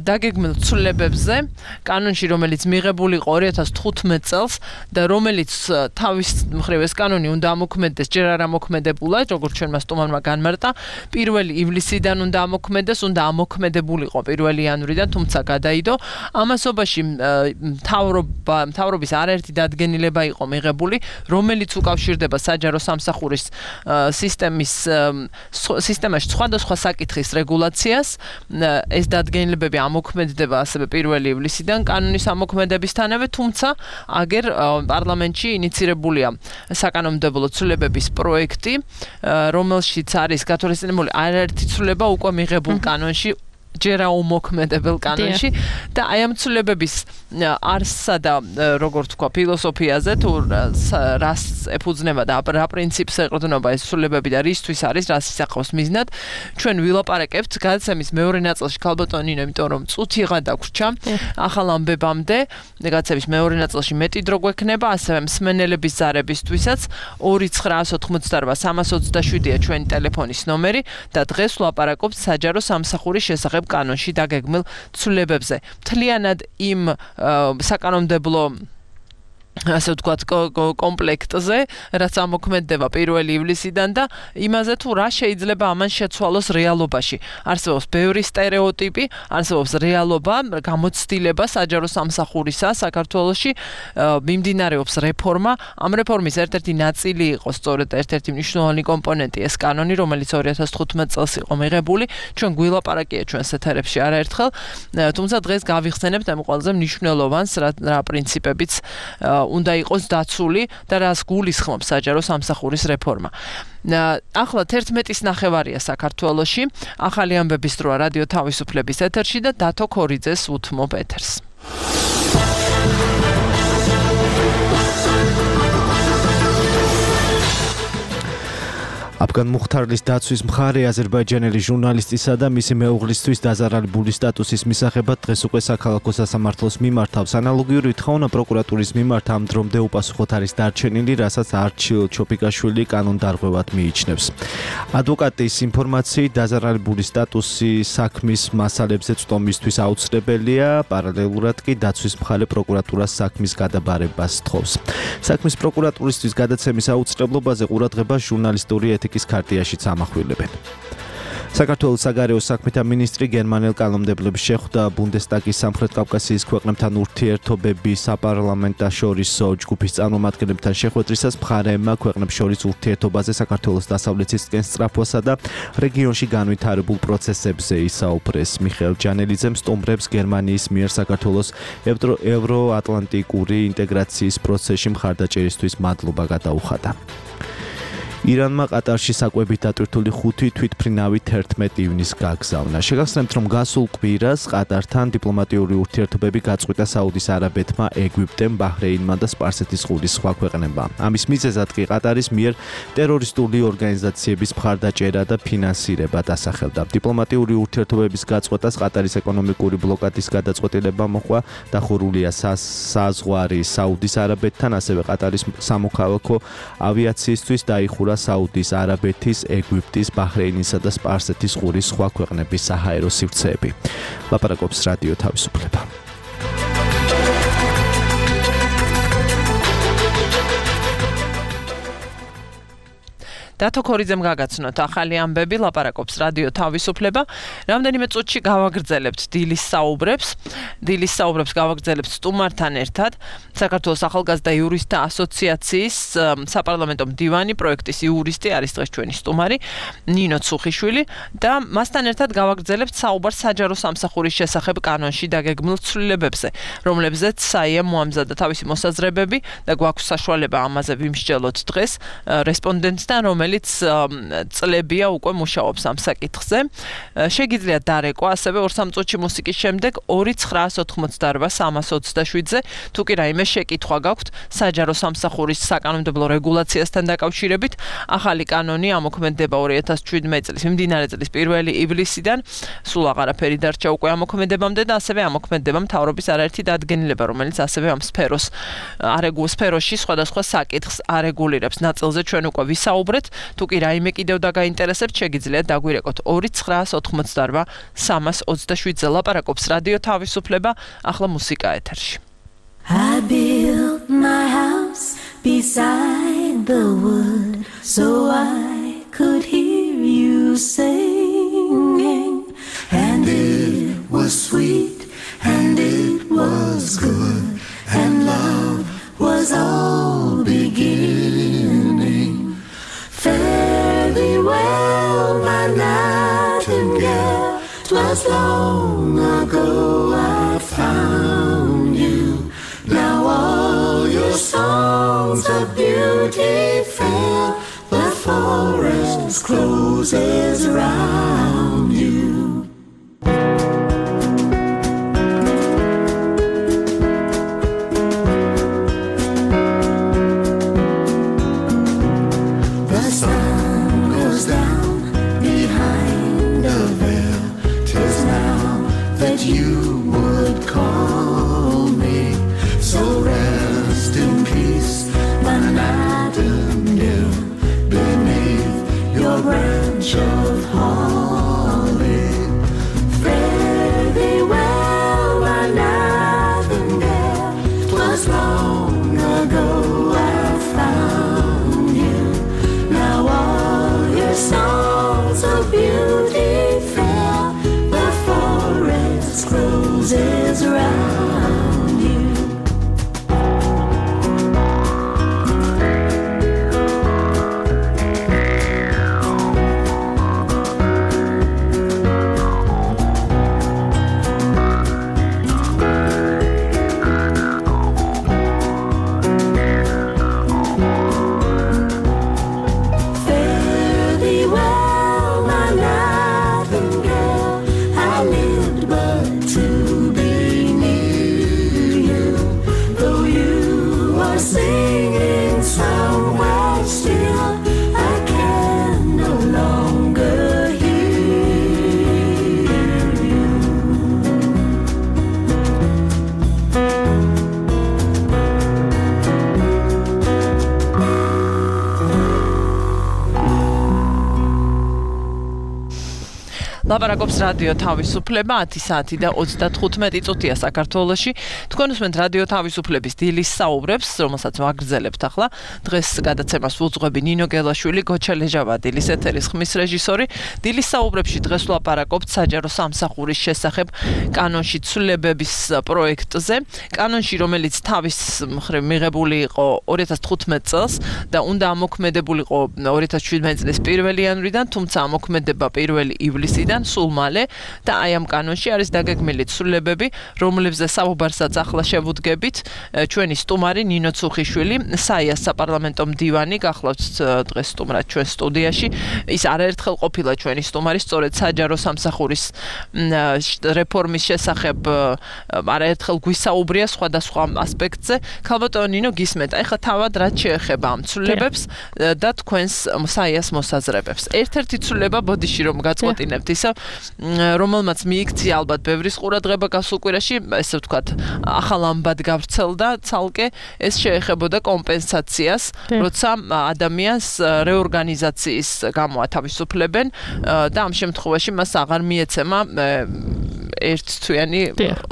დაგეგმილ ცვლილებებზე, კანონში რომელიც მიღებული იყო ორი ათას თხუთმეტ წელს და რომელიც თავის მხრივ ეს კანონი უნდა ამოქმედდეს, ჯერ არ ამოქმედებულა, როგორც ჩვენმა სტუმარმა განმარტა, პირველი ივლისიდან უნდა ამოქმედდეს, უნდა ამოქმედებულიყო პირველი იანვრიდან, თუმცა გადაიდო. ამასობაში მთავრობა, მთავრობის არაერთი დადგენილება იყო მიღებული, რომელიც უკავშირდება საჯარო სამსახურის სისტემის სისტემაში სხვადასხვა საკითხის რეგულაციას. ეს დადგენილებები ამოქმედდება ასევე პირველი ივლისიდან კანონის ამოქმედებისთანავე, თუმცა აგერ პარლამენტში ინიცირებულია საკანონმდებლო ცვლილებების პროექტი, რომელშიც არის გათვალისწინებული არაერთი ცვლილება უკვე მიღებულ კანონში, ჯერ აუმოქმედებელ კანონში და აი ამ ცვლილებების არსსა და როგორ თქვა ფილოსოფიაზე თუ რას ეფუძნება და რა პრინციპს ეყრდნობა ეს ცვლილებები და რისთვის არის, რას ისახავს მიზნად, ჩვენ ვილაპარაკებთ გადაცემის მეორე ნაწილში ქალბატონინო, იმიტომ რომ წუთიღა დაგვრჩა ახალ ამბებამდე, გადაცემის მეორე ნაწილში მეტი დრო გვექნება, ასევე მსმენელების ზარებისთვისაც ორი ცხრა ოთხმოცდარვა სამას ოცდაშვიდია ჩვენი ტელეფონის ნომერი და დღეს ვლაპარაკობთ საჯარო სამსახურის შესახებ კანონში დაგეგმილ ცვლილებებზე. მთლიანად იმ საკანონმდებლო ასე ვთქვათ კომპლექტზე, რაც ამოქმედდება პირველი ივლისიდან და იმაზე თუ რა შეიძლება ამან შეცვალოს რეალობაში. არსებობს ბევრი სტერეოტიპი, არსებობს რეალობა, გამოცდილება საჯარო სამსახურისა საქართველოში, მიმდინარეობს რეფორმა. ამ რეფორმის ერთ-ერთი ნაწილი იყო სწორედ ერთ-ერთი მნიშვნელოვანი კომპონენტი ეს კანონი, რომელიც ორი ათას თხუთმეტ წელს იყო მიღებული. ჩვენ გვილაპარაკია ჩვენს ეთერებში არაერთხელ, თუმცა დღეს გავიხსენებთ ამ ყველაზე მნიშვნელოვანს, რა პრინციპებიც უნდა იყოს დაცული და რას გულისხმობს საჯარო სამსახურის რეფორმა. ახლა თერთმეტის ნახევარია საქართველოში, ახალი ამბების დროა რადიო თავისუფლების ეთერში და დათო ქორიძეს უთმობ ეთერს. აფგან მუხთარლის დაცვის მხარე აზერბაიჯანელი ჟურნალისტისა და მისი მეუღლისთვის დაზარალებული სტატუსის მისაღებად დღეს უკვე საქალაქო სასამართლოს მიმართავს. ანალოგიური თხოვნა პროკურატურის მიმართ ამ დრომდე უპასუხოდ არის დარჩენილი, რასაც არჩილ ჩოპიკაშვილი კანონდარღვევად მიიჩნევს. ადვოკატის ინფორმაციით დაზარალებული სტატუსი საქმის მასალებზე წვდომისთვის აუცილებელია, პარალელურად კი დაცვის მხარე პროკურატურას საქმის გადაბარებას თხოვს. საქმის პროკურატურისთვის გადაცემის აუცილებლობაზე ყურადღებას ჟურნალისტური ეთიკის ქარტიაშიც ამახვილებენ. საქართველოს საგარეო საქმეთა მინისტრი გერმანელ კანონმდებლებს შეხვდა ბუნდესტაგის სამხრეთ კავკასიის ქვეყნებთან ურთიერთობების საპარლამენტაშორისო ჯგუფის წარმომადგენლებთან შეხვედრისას მხარეებმა ქვეყნებს შორის ურთიერთობაზე საქართველოს დასავლეთისკენ სწრაფვასა და რეგიონში განვითარებულ პროცესებზე ისაუბრეს. მიხეილ ჯანელიძემ სტუმრებს გერმანიის მიერ საქართველოს ევროატლანტიკური ინტეგრაციის პროცესში მხარდაჭერისთვის მადლობა გადაუხადა. ირანმა ყატარში საკვებით დატვირთული ხუთი თვითმფრინავი თერთმეტ ივნისს გაგზავნა. შეგახსენებთ, რომ გასულ კვირას ყატართან დიპლომატიური ურთიერთობები გაწყვიტა საუდის არაბეთმა, ეგვიპტემ, ბაჰრეინმა და სპარსეთის ყურის სხვა ქვეყნებმა. ამის მიზეზად კი ყატარის მიერ ტერორისტული ორგანიზაციების მხარდაჭერა და ფინანსირება დასახელდა. დიპლომატიური ურთიერთობების გაწყვეტას ყატარის ეკონომიკური ბლოკადის გადაწყვეტილება მოჰყვა, დახურულია საზღვარი საუდის არაბეთთან, ასევე ყატარის სამოქალაქო ავიაციისთვის დაიხურა საუდის არაბეთის, ეგვიპტის, ბაჰრეინისა და სპარსეთის ყურის სხვა ქვეყნების საჰაერო სივრცეები. ლაპარაკობს რადიო თავისუფლება. დათო ქორიძემ გაგაცნოთ ახალი ამბები, ლაპარაკობს რადიო თავისუფლება. რამდენიმე წუთში გავაგრძელებთ დილის საუბრებს. დილის საუბრებს გავაგრძელებთ სტუმართან ერთად. საქართველოს ახალგაზრდა იურისტთა ასოციაციის საპარლამენტო მდივანი, პროექტის იურისტი არის დღეს ჩვენი სტუმარი, ნინო ცუხიშვილი და მასთან ერთად გავაგრძელებთ საუბარს საჯარო სამსახურის შესახებ კანონში დაგეგმილ ცვლილებებზე, რომლებზეც საიამ მოამზადა თავისი მოსაზრებები და გვაქვს საშუალება ამაზე ვიმსჯელოთ დღეს რესპონდენტთან, რომელიც წლებია უკვე მუშაობს ამ საკითხზე. შეგიძლიათ დარეკვა ასევე ორ სამ წუთში მუსიკის შემდეგ ორი ცხრაას ოთხმოცდაორ სამას ოცდაშვიდზე, თუ კი რაიმე შეკითხვა გაქვთ საჯარო სამსახურის საკანონმდებლო რეგულაციასთან დაკავშირებით. ახალი კანონი ამოქმედება ორი ათას შვიდმეტ წლის მიმდინარე წლის პირველი ივლისიდან, სულ აღარაფერი დარჩა უკვე ამოქმედებამდე და ასევე ამოქმედება მთავრობის არაერთი დადგენილება, რომელიც ასევე ამ სფეროს არეგულ სფეროში სხვადასხვა საკითხს არეგულირებს. ნაწილზე ჩვენ უკვე ვისაუბრეთ. თუ კი რაიმე კიდევ დაგაინტერესებთ, შეგიძლიათ დაგვირეკოთ ორი ცხრაას ოთხმოცდაორ სამას ოცდაშვიდზე. ლაპარაკობს რადიო თავისუფლება, ახლა მუსიკა ეთერში. I built my house beside the wood so I could hear you singing, and it was sweet and it was good and love was all beginning. Fare thee well, my nightingale, 'twas long ago I found you. Now all your songs of beauty fill the forest closes round you. The sun goes down behind the veil, 'tis now that you would call me. So rest in peace, my nightingale, beneath your branch of holly. Fare thee well, my nightingale, 'twas long ago I found you. Now all your songs of beauty fill the forest closes round you. Fare thee well, my nightingale. I lived but to be near you. Though you are singing somewhere still, I can no longer hear you. ლაპარაკობს რადიო თავისუფლება ათი საათი და ოცდათხუთმეტი წუთია საქართველოში. თქვენ უსმენთ რადიო თავისუფლების დილის საუბრებს, რომელსაც ვაგრძელებთ ახლა. დღეს გადაცემას უძღვები ნინო გელაშვილი, გოჩა ლეჟავა, დილის ეთერის ხმის რეჟისორი. დილის საუბრებში დღეს ვლაპარაკობთ საჯარო სამსახურის შესახებ კანონში ცვლილებების პროექტზე. კანონში, რომელიც თავის მხრივ მიღებული იყო ორი ათას თხუთმეტ წელს და უნდა ამოქმედებულიყო ორი ათას შვიდმეტი წლის პირველი იანვრიდან, თუმცა ამოქმედება პირველი ივლისიდან სულ მალე და აი ამ კანონში არის დაგეგმილი ცვლილებები, რომლებზეც საუბარსაც ახლა შევუდგებით. ჩვენი სტუმარი ნინო ცუხიშვილი, საიას საპარლამენტო მდივანი, გახლავთ დღეს სტუმრად ჩვენ სტუდიაში. ის არაერთხელ ყოფილა ჩვენი სტუმარი, სწორედ საჯარო სამსახურის რეფორმის შესახებ არაერთხელ გვისაუბრია სხვადასხვა ასპექტზე. ქალბატონო ნინო, გისმენთ, აი ხა თავად რაც შეეხება ამ ცვლილებებს და თქვენს საიას მოსაზრებებს. ერთ-ერთი ცვლილება ბოდიში რომ გაწყვეტინებთ ისა, რომელმაც მიიქცია ალბათ ბევრის ყურადღება გასულ კვირაში, ესე ვთქვათ, ახალ ამბად გავრცელდა ცალკე, ეს შეეხებოდა კომპენსაციას, როცა ადამიანს რეორგანიზაციის გამო ათავისუფლებენ და ამ შემთხვევაში მას აღარ მიეცემა ერთთვიანი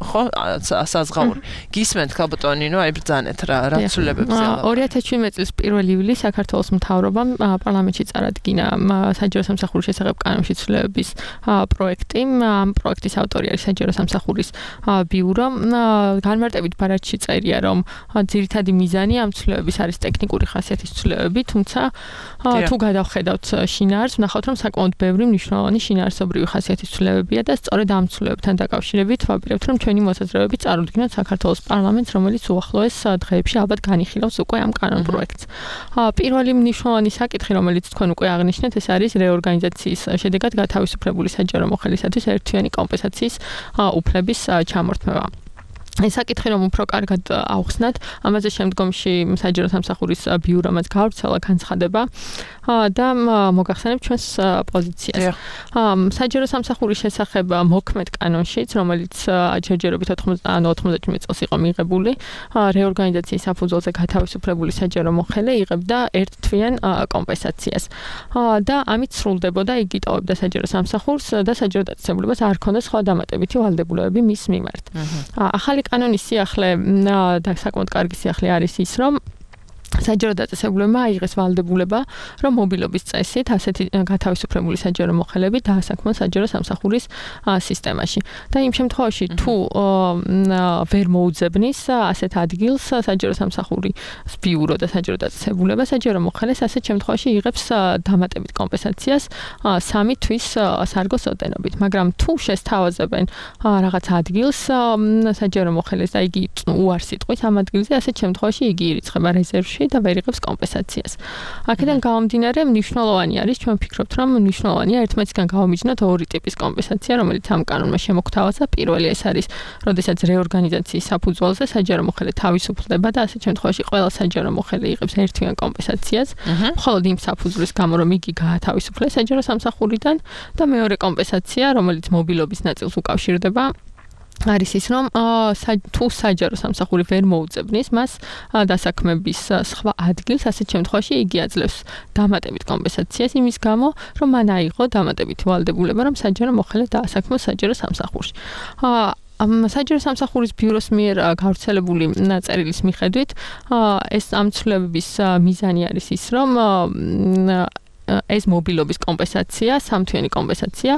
ხო საზღაური. გისმენთ ქალბატონო ნინო, აი ბრძანეთ რა რა ცვლილებებზე ალბათ. ორი ათას შვიდმეტი წლის პირველი ივლისს საქართველოს მთავრობამ პარლამენტში წარადგინა საჯარო სამსახურის შესახებ კანონში ცვლილებების პროექტი. ამ პროექტის ავტორი არის საჯარო სამსახურის ბიურო. განმარტებით ბარათში წერია, რომ ძირითადი მიზანი ამ ცვლილებების არის ტექნიკური ხასიათის ცვლილებები, თუმცა თუ გადავხედავთ შინაარსს, ვნახავთ, რომ საკმაოდ ბევრი მნიშვნელოვანი შინაარსობრივი ხასიათის ცვლილებებია და სწორედ ამ ცვლილებებთან დაკავშირებით ვაპირებთ, რომ ჩვენი მოსაზრებები წარუდგინოთ საქართველოს პარლამენტს, რომელიც უახლოეს დღეებში ალბათ განიხილავს უკვე ამ კანონ პროექტს. პირველი მნიშვნელოვანი საკითხი, რომელიც თქვენ უკვე აღნიშნეთ, ეს არის რეორგანიზაციის შედეგად გათავისუფლებული საჯარო მოხელისათვის ერთთვიანი კომპენსაციის უფლების ჩამორთმევა. ეს საკითხი რომ უფრო კარგად ავხსნათ, ამაზე შემდგომში საჯარო სამსახურის ბიურომაც გავრცელა განცხადება და მოგახსენებთ ჩვენს პოზიციას. საჯარო სამსახურის შესახებ მოქმედ კანონშიც, რომელიც ჯერჯერობით ოთხმოცდაშვიდ წელს იყო მიღებული, რეორგანიზაციის საფუძველზე გათავისუფლებული საჯარო მოხელე იღებდა ერთთვიან კომპენსაციას. და ამით სრულდებოდა, იგი ტოვებდა საჯარო სამსახურს და საჯარო დაწესებულებას არ ჰქონდა სხვა დამატებითი ვალდებულებები მის მიმართ. ახალი კანონის სიახლე და საკმაოდ კარგი სიახლე არის ის, რომ საჯარო დაწესებულებმა აიღეს ვალდებულება, რომ მობილობის წესით ასეთი გათავისუფლებული საჯარო მოხელები დაასაქმონ საჯარო სამსახურის სისტემაში. და იმ შემთხვევაში, თუ ვერ მოუძებნის ასეთ ადგილს საჯარო სამსახურის ბიურო და საჯარო დაწესებულება, საჯარო მოხელეს ასეთ შემთხვევაში იღებს დამატებით კომპენსაციას სამი თვის სარგოს ოდენობით. მაგრამ თუ შესთავაზებენ რაღაც ადგილს საჯარო მოხელეს და იგი უარს იტყვის ამ ადგილზე, ასეთ შემთხვევაში იგი ირიცხება რეზერვში და ვერ იღებს კომპენსაციას. აქედან გამომდინარე, მნიშვნელოვანი არის, ჩვენ ვფიქრობთ, რომ მნიშვნელოვანია ერთმანეთისგან გავამიჯნოთ ორი ტიპის კომპენსაცია, რომელიც ამ კანონმა შემოგთავაზა. პირველი ეს არის, როდესაც რეორგანიზაციის საფუძველზე საჯარო მოხელე თავისუფლდება და ასეთ შემთხვევაში ყველა საჯარო მოხელე იღებს ერთთვიან კომპენსაციას, მხოლოდ იმ საფუძვლის გამო, რომ იგი გაათავისუფლეს საჯარო სამსახურიდან და მეორე კომპენსაცია, რომელიც მობილობის ნაწილს უკავშირდება, არის ის, რომ თუ საჯარო სამსახური ვერ მოუძებნის მას დასაქმების სხვა ადგილს, ასეთ შემთხვევაში იგი აძლევს დამატებით კომპენსაციას იმის გამო, რომ მან აიღო დამატებითი ვალდებულება, რომ საჯარო მოხელე დაასაქმოს საჯარო სამსახურში. საჯარო სამსახურის ბიუროს მიერ გავრცელებული წერილის მიხედვით ეს ამ ცვლილებების მიზანი არის ის, რომ ეს მობილობის კომპენსაცია, სამთვიანი კომპენსაცია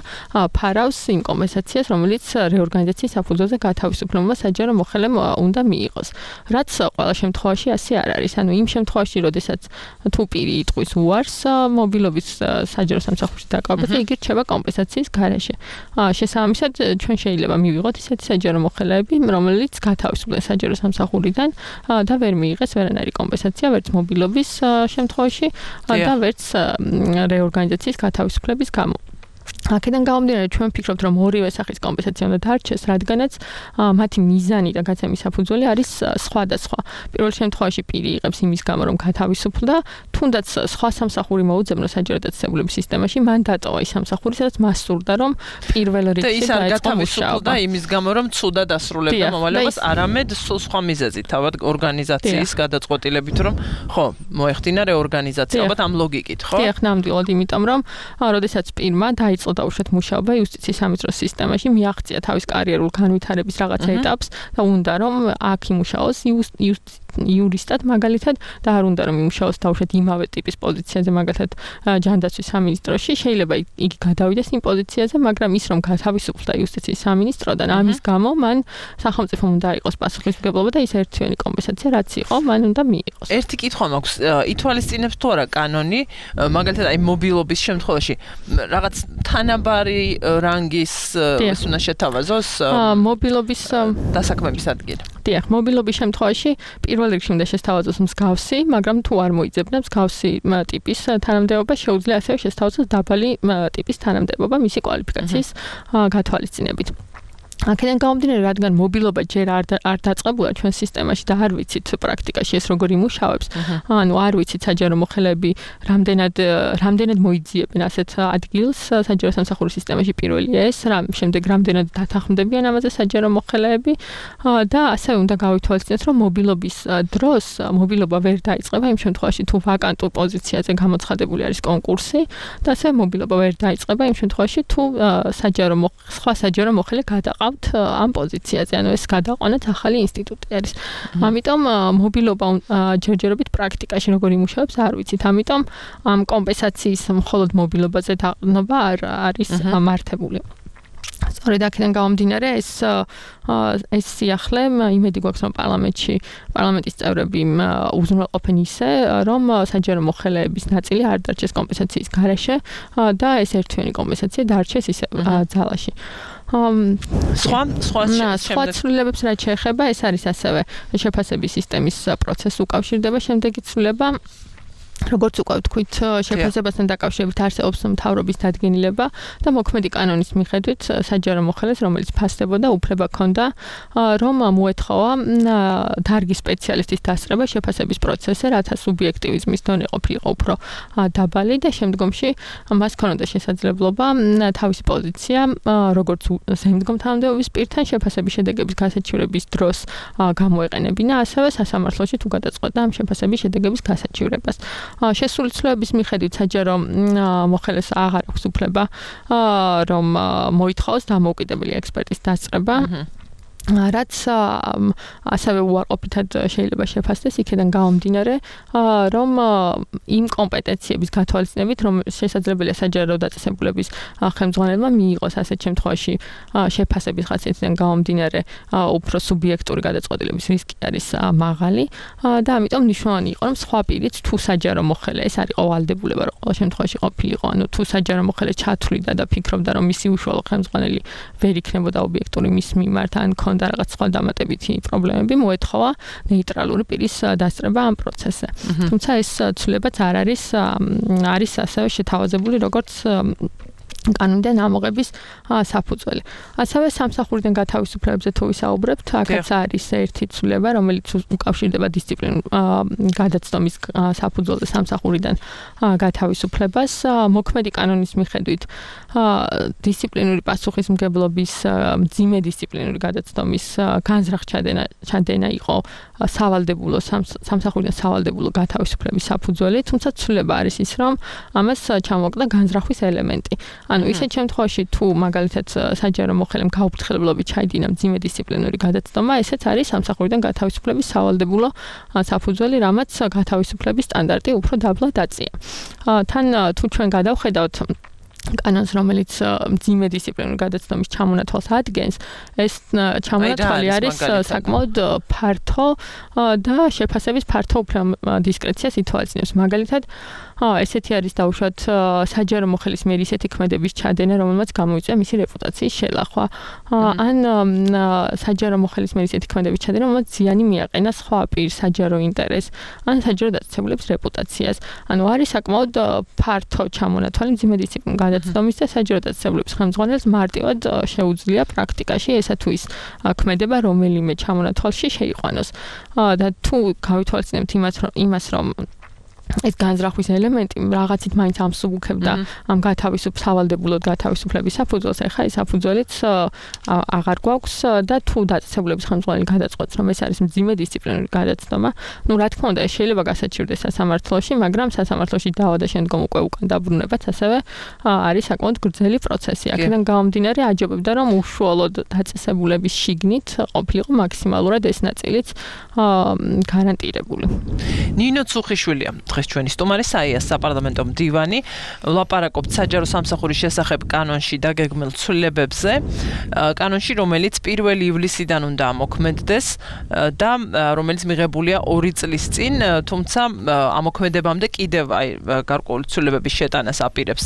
ფარავს იმ კომპენსაციას, რომელიც რეორგანიზაციის საფუძველზე გათავისუფლებულმა საჯარო მოხელემ უნდა მიიღოს. რაც ყველა შემთხვევაში ასე არ არის. ანუ იმ შემთხვევაში, როდესაც თუ პირი იტყვის უარს მობილობის საჯარო სამსახურში დაკავებას, იგი რჩება კომპენსაციის გარეშე. შესაბამისად, ჩვენ შეიძლება მივიღოთ ისეთი საჯარო მოხელეები, რომელიც გათავისუფლდნენ საჯარო სამსახურიდან და ვერ მიიღეს ვერანაირი კომპენსაცია, ვერც მობილობის შემთხვევაში და ვერც რეორგანიზაციის გათავისუფლების გამო. აქედან გამომდინარე, ჩვენ ვფიქრობთ, რომ ორივე სახის კომპენსაცია უნდა დარჩეს, რადგანაც მათი მიზანი და გაცემის საფუძველი არის სხვადასხვა. პირველ შემთხვევაში პირი იღებს იმის გამო, რომ გათავისუფლდა, თუნდაც სხვა სამსახური მოუძებნო საჯარო დაწესებულების სისტემაში, მან დატოვა ის სამსახური, სადაც მას სურდა, რომ პირველ რიგში დაეწყო მუშაობა. და იმის გამო, რომ ცუდად ასრულებდა მოვალეობას, არამედ სულ სხვა მიზეზით, თავად ორგანიზაციის გადაწყვეტილებით, რომ ხო, მოეხდინა რეორგანიზაცია, ალბათ ამ ლოგიკით, ხო? დიახ, ნამდვილად, იმიტომ რომ როდესაც პირმა დაიწყო დაუშვათ მუშაობა იუსტიციის სამიწროს სისტემაში, მიაღწია თავის კარიერულ განვითარების რაღაცა ეტაპს და უნდა რომ აქ იმუშაოს იურისტად მაგალითად და არ უნდა რომ იმუშაოს დაუშვათ იმავე ტიპის პოზიციაზე მაგალითად ჯანდაცვის სამინისტროში, შეიძლება იგი გადავიდეს იმ პოზიციაზე, მაგრამ ის რომ გათავისუფლდა იუსტიციის სამინისტროდან, ამის გამო მან სახელმწიფომ უნდა იყოს პასუხისმგებლობა და ის ერთთვიანი კომპენსაცია რაც იყო, მან უნდა მიიღოს. ერთი კითხვა მაქვს, ითვალისწინებს თუ არა კანონი, მაგალითად აი მობილობის შემთხვევაში რაღაც თანაბარი რანგის ის უნდა შეთავაზოს მობილობის დასაქმების ადგილი. დიახ, მობილობის შემთხვევაში პირველ რიგში უნდა შესთავაზოს მსგავსი, მაგრამ თუ არ მოიძებნა მსგავსი ტიპის თანამდებობა, შეუძლია ასევე შესთავაზოს დაბალი ტიპის თანამდებობა მისი კვალიფიკაციის გათვალისწინებით. აქედან გამომდინარე, რადგან მობილობა ჯერ არ არ დაწყებულა ჩვენ სისტემაში და არ ვიცით პრაქტიკაში ეს როგორ იმუშავებს. ანუ არ ვიცით საჯარო მოხელეები რამდენად რამდენად მოიძიებენ ასეთ ადგილს საჯარო სამსახურის სისტემაში პირველი ეს, რამ შემდეგ რამდენად დათანხმდებიან ამაზე საჯარო მოხელეები და ასევე უნდა გავითვალისწინოთ, რომ მობილობის დროს მობილობა ვერ დაიწყება იმ შემთხვევაში თუ ვაკანტურ პოზიციაზე გამოცხადებული არის კონკურსი და ასევე მობილობა ვერ დაიწყება იმ შემთხვევაში თუ საჯარო სხვა საჯარო მოხელე გადაყავთ ამ პოზიციაზე, ანუ ეს გადაყვანაც ახალი ინსტიტუტი არის. ამიტომ მობილობა ჯერჯერობით პრაქტიკაში როგორ იმუშავებს არ ვიცით. ამიტომ ამ კომპენსაციის მხოლოდ მობილობაზე დაყრდნობა არ არის მართებული. სწორედ აქედან გამომდინარე, ეს ეს სიახლე იმედი გვაქვს, რომ პარლამენტში პარლამენტის წევრები უზრუნველყოფენ ისე, რომ საჯარო მოხელეების ნაწილი არ დარჩეს კომპენსაციის გარეშე და ეს ერთთვიანი კომპენსაცია დარჩეს ისე ძალაში. სხვა სხვა სხვა ცვლილებებს რაც შეეხება, ეს არის ასევე შეფასების სისტემის პროცესს უკავშირდება შემდეგი ცვლილება. როგორც უკვე ვთქვით, შეფასებასთან დაკავშირებით არსებობს მთავრობის დადგენილება და მოქმედი კანონის მიხედვით საჯარო მოხელეს, რომელიც ფასდებოდა, უფლება ჰქონდა, რომ მოეთხოვა დარგის სპეციალისტის დასწრება შეფასების პროცესზე, რათა სუბიექტივიზმის დონე ყოფილიყო უფრო დაბალი და შემდგომში მას ჰქონდა შესაძლებლობა თავისი პოზიცია, როგორც ზემდგომ თანამდებობის პირთან შეფასების შედეგების გასაჩივრების დროს გამოეყენებინა, ასევე სასამართლოში თუ გადაწყვეტდა ამ შეფასების შედეგების გასაჩივრებას. შესული ცვლილების მიხედვით საჯარო მოხელეს აღარ აქვს უფლება რომ მოითხოვოს დამოუკიდებელი ექსპერტის დასწრება. რაც ასევე უარყოფითად შეიძლება შეფასდეს იქიდან გამომდინარე, რომ იმ კომპეტენციების გათვალისწინებით, რომ შესაძლებელია საჯარო დაწესებულების ხელმძღვანელმა მიიღოს ასეთ შემთხვევაში შეფასების ხასიათიდან გამომდინარე უფრო სუბიექტური გადაწყვეტილების რისკი არის მაღალი და ამიტომ მნიშვნელოვანი იყო, რომ სხვა პირიც თუ საჯარო მოხელე ეს არ იყო ვალდებულება, რომ ყოველ შემთხვევაში ყოფილიყო, ანუ თუ საჯარო მოხელე ჩათვლიდა და ფიქრობდა, რომ მისი უშუალო ხელმძღვანელი ვერ იქნებოდა ობიექტური მის მიმართ ან და რაღაც სხვა დამატებითი პრობლემები მოეთხოვა ნეიტრალური პირის დასწრება ამ პროცესზე. თუმცა ეს ცვლილებაც არ არის არის ასევე შეთავაზებული როგორც კანონიდან ამოღების საფუძველი. ასევე სამსახურიდან გათავისუფლებებზე თუ ვისაუბრებთ, აქაც არის ერთი ცვლილება, რომელიც უკავშირდება დისციპლინურ გადაცდომის საფუძველზე სამსახურიდან გათავისუფლებას. მოქმედი კანონის მიხედვით დისციპლინური პასუხისმგებლობის მძიმე დისციპლინური გადაცდომის განზრახ ჩადენა ჩადენა იყო სავალდებულო სამსახურიდან სავალდებულო გათავისუფლების საფუძველი, თუმცა ცვლილება არის ის, რომ ამას ჩამოყდა განზრახვის ელემენტი. ანუ ისეთ შემთხვევაში თუ მაგალითად საჯარო მოხელემ გაუფრთხილებლობით ჩაიდინა მძიმე დისციპლინური გადაცდომა, ესეც არის სამსახურიდან გათავისუფლების სავალდებულო საფუძველი, რამაც გათავისუფლების სტანდარტი უფრო დაბლა დაწია. თან თუ ჩვენ გადავხედავთ კანონს, რომელიც მძიმე დისციპლინური გადაცდომის ჩამონათვალს ადგენს, ეს ჩამონათვალი არის საკმაოდ ფართო და შეფასების ფართო დისკრეციას ითვალისწინებს. მაგალითად, ესეთი არის დაუშვათ საჯარო მოხელის მიერ ისეთი ქმედების ჩადენა, რომელმაც გამოიწვია მისი რეპუტაციის შელახვა. ან საჯარო მოხელის მიერ ისეთი ქმედების ჩადენა, რომელმაც ზიანი მიაყენა სხვა პირს საჯარო ინტერესს, ან საჯარო დაწესებულების რეპუტაციას. ანუ არის საკმაოდ ფართო ჩამონათვალი მძიმე დისციპლინური გადაცდომის და საჯარო დაწესებულების ხელმძღვანელს მარტივად შეუძლია პრაქტიკაში ესა თუ ის ქმედება რომელიმე ჩამონათვალში შეიყვანოს. და თუ გავითვალისწინებთ იმას, რომ ეს განზრახვის ელემენტი რაღაცით მაინც ამსუბუქებდა ამ გათავისუფ სავალდებულოდ გათავისუფლების საფუძველს, ეხლა ეს საფუძველიც აღარ გვაქვს და თუ დაწესებულების ხელმძღვანელი გადაწყვეტს, რომ ეს არის მძიმე დისციპლინური გადაცდომა, ну რა თქმა უნდა, ეს შეიძლება გასაჩივრდეს სასამართლოში, მაგრამ სასამართლოში დავა და შემდგომ უკვე უკან დაბრუნებაც ასევე არის საკმაოდ გრძელი პროცესი. აქედან გამომდინარე აჯობებდა, რომ უშუალოდ დაწესებულების შიგნით ყოფილიყო მაქსიმალურად ეს ნაწილიც გარანტირებული. ნინო ცუხიშვილია დღეს ჩვენი სტუმარი, საიას საპარლამენტო მდივანი, ვლაპარაკობთ საჯარო სამსახურის შესახებ კანონში დაგეგმილ ცვლილებებზე, კანონში, რომელიც პირველი ივლისიდან უნდა ამოქმედდეს და რომელიც მიღებულია ორი წლის წინ, თუმცა ამოქმედებამდე კიდევ აი გარკვეული ცვლილებების შეტანას აპირებს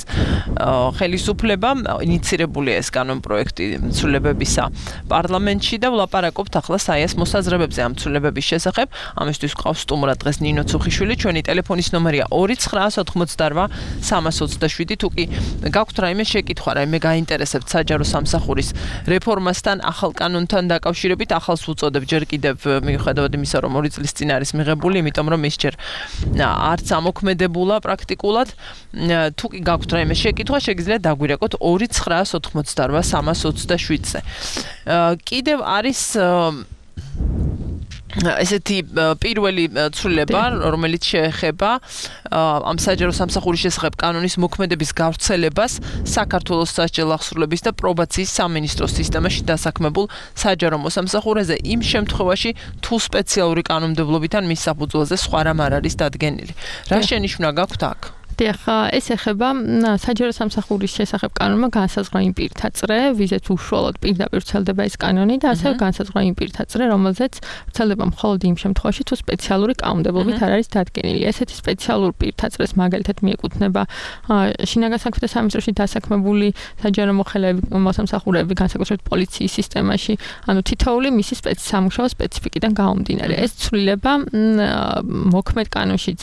ხელისუფლება. ინიცირებულია ეს კანონ პროექტი ცვლილებებისა პარლამენტში და ვლაპარაკობთ ახლა საიას მოსაზრებებზე ამ ცვლილებების შესახებ. ამისთვის ყავს სტუმრად დღეს ნინო ცუხიშვილი, ჩვენი ტელეფონის ნომერია ორი ცხრა ოცდაოთხმოცდარბა სამას ოცდაშვიდი. თუ კი გაქვთ რაიმე შეკითხვა, რაიმე გაინტერესებთ საჯარო სამსახურის რეფორმასთან, ახალ კანონთან დაკავშირებით, ახალს ვუწოდებ ჯერ კიდევ მიუხედავად იმისა, რომ ორი წლის წინ არის მიღებული, იმიტომ რომ ის ჯერ არც ამოქმედებულა პრაქტიკულად. თუ კი გაქვთ რაიმე შეკითხვა, შეგიძლიათ დაგვირეკოთ ორი ცხრა ოცდაოთხმოცდარბა სამას ოცდაშვიდზე. კიდევ არის ესეთი პირველი ცვლილება, რომელიც შეეხება ამ საჯარო სამსახურის შესახებ კანონის მოქმედების გავრცელებას საქართველოს სასჯელ აღსრულების და პრობაციის სამინისტროს სისტემაში დასაქმებულ საჯარო მოსამსახურეზე იმ შემთხვევაში, თუ სპეციალური კანონმდებლობით ან მის საფუძველზე სხვა რამ არ არის დადგენილი. რა შენიშვნა გაქვთ აქ? დიახ, ეს ეხება საჯარო სამსახურის შესახებ კანონმა განსაზღვრა იმ პირთა წრე, ვიზეც უშუალოდ პირდაპირ ვრცელდება ეს კანონი და ასევე განსაზღვრა იმ პირთა წრე, რომელზეც ვრცელდება მხოლოდ იმ შემთხვევაში, თუ სპეციალური კანონმდებლობით არ არის დადგენილი. ესეთი სპეციალური პირთა წრეს მაგალითად მიეკუთვნება შინაგან საქმეთა სამინისტროში დასაქმებული საჯარო მოხელეები, მოსამსახურეები, განსაკუთრებით პოლიციის სისტემაში, ანუ თითოეული მისი სამუშაო სპეციფიკიდან გამომდინარე. ეს ცვლილება მოქმედ კანონშიც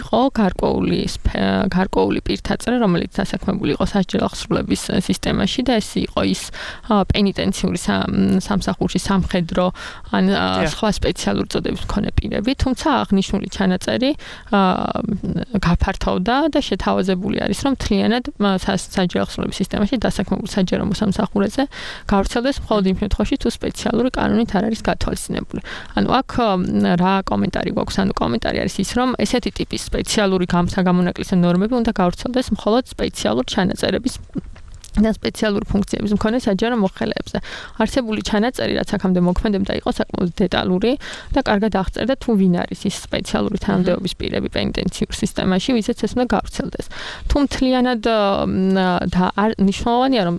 იყო გარკვეული გარკვეული პირთა წრე, რომელიც დასაქმებული იყო სასჯელ აღსრულების სისტემაში და ეს იყო ის პენიტენციური სამსახურში სამხედრო ან სხვა სპეციალური წოდების მქონე პირები, თუმცა აღნიშნული ჩანაწერი გაფართოვდა და შეთავაზებული არის, რომ მთლიანად სასჯელ აღსრულების სისტემაში დასაქმებულ საჯარო მოსამსახურეზე გავრცელდეს მხოლოდ იმ შემთხვევაში, თუ სპეციალური კანონით არ არის გათვალისწინებული. ანუ აქ რა კომენტარი გვაქვს? ანუ კომენტარი არის ის, რომ ესეთი ტიპის სპეციალური გამოსაგამონაკლისო ნორმები უნდა გავრცელდეს მხოლოდ სპეციალურ ჩანაწერების და სპეციალური ფუნქციების მქონე საჯარო მოხელეებზე. არსებული ჩანაწერი, რაც აქამდე მოქმედებდა, იყო საკმაოდ დეტალური და კარგად აღწერდა, თუ ვინ არის ის სპეციალური თანამდებობის პირები პენიტენციურ სისტემაში, ვისაც ეს უნდა გავრცელდეს. თუ მთლიანად და მნიშვნელოვანია, რომ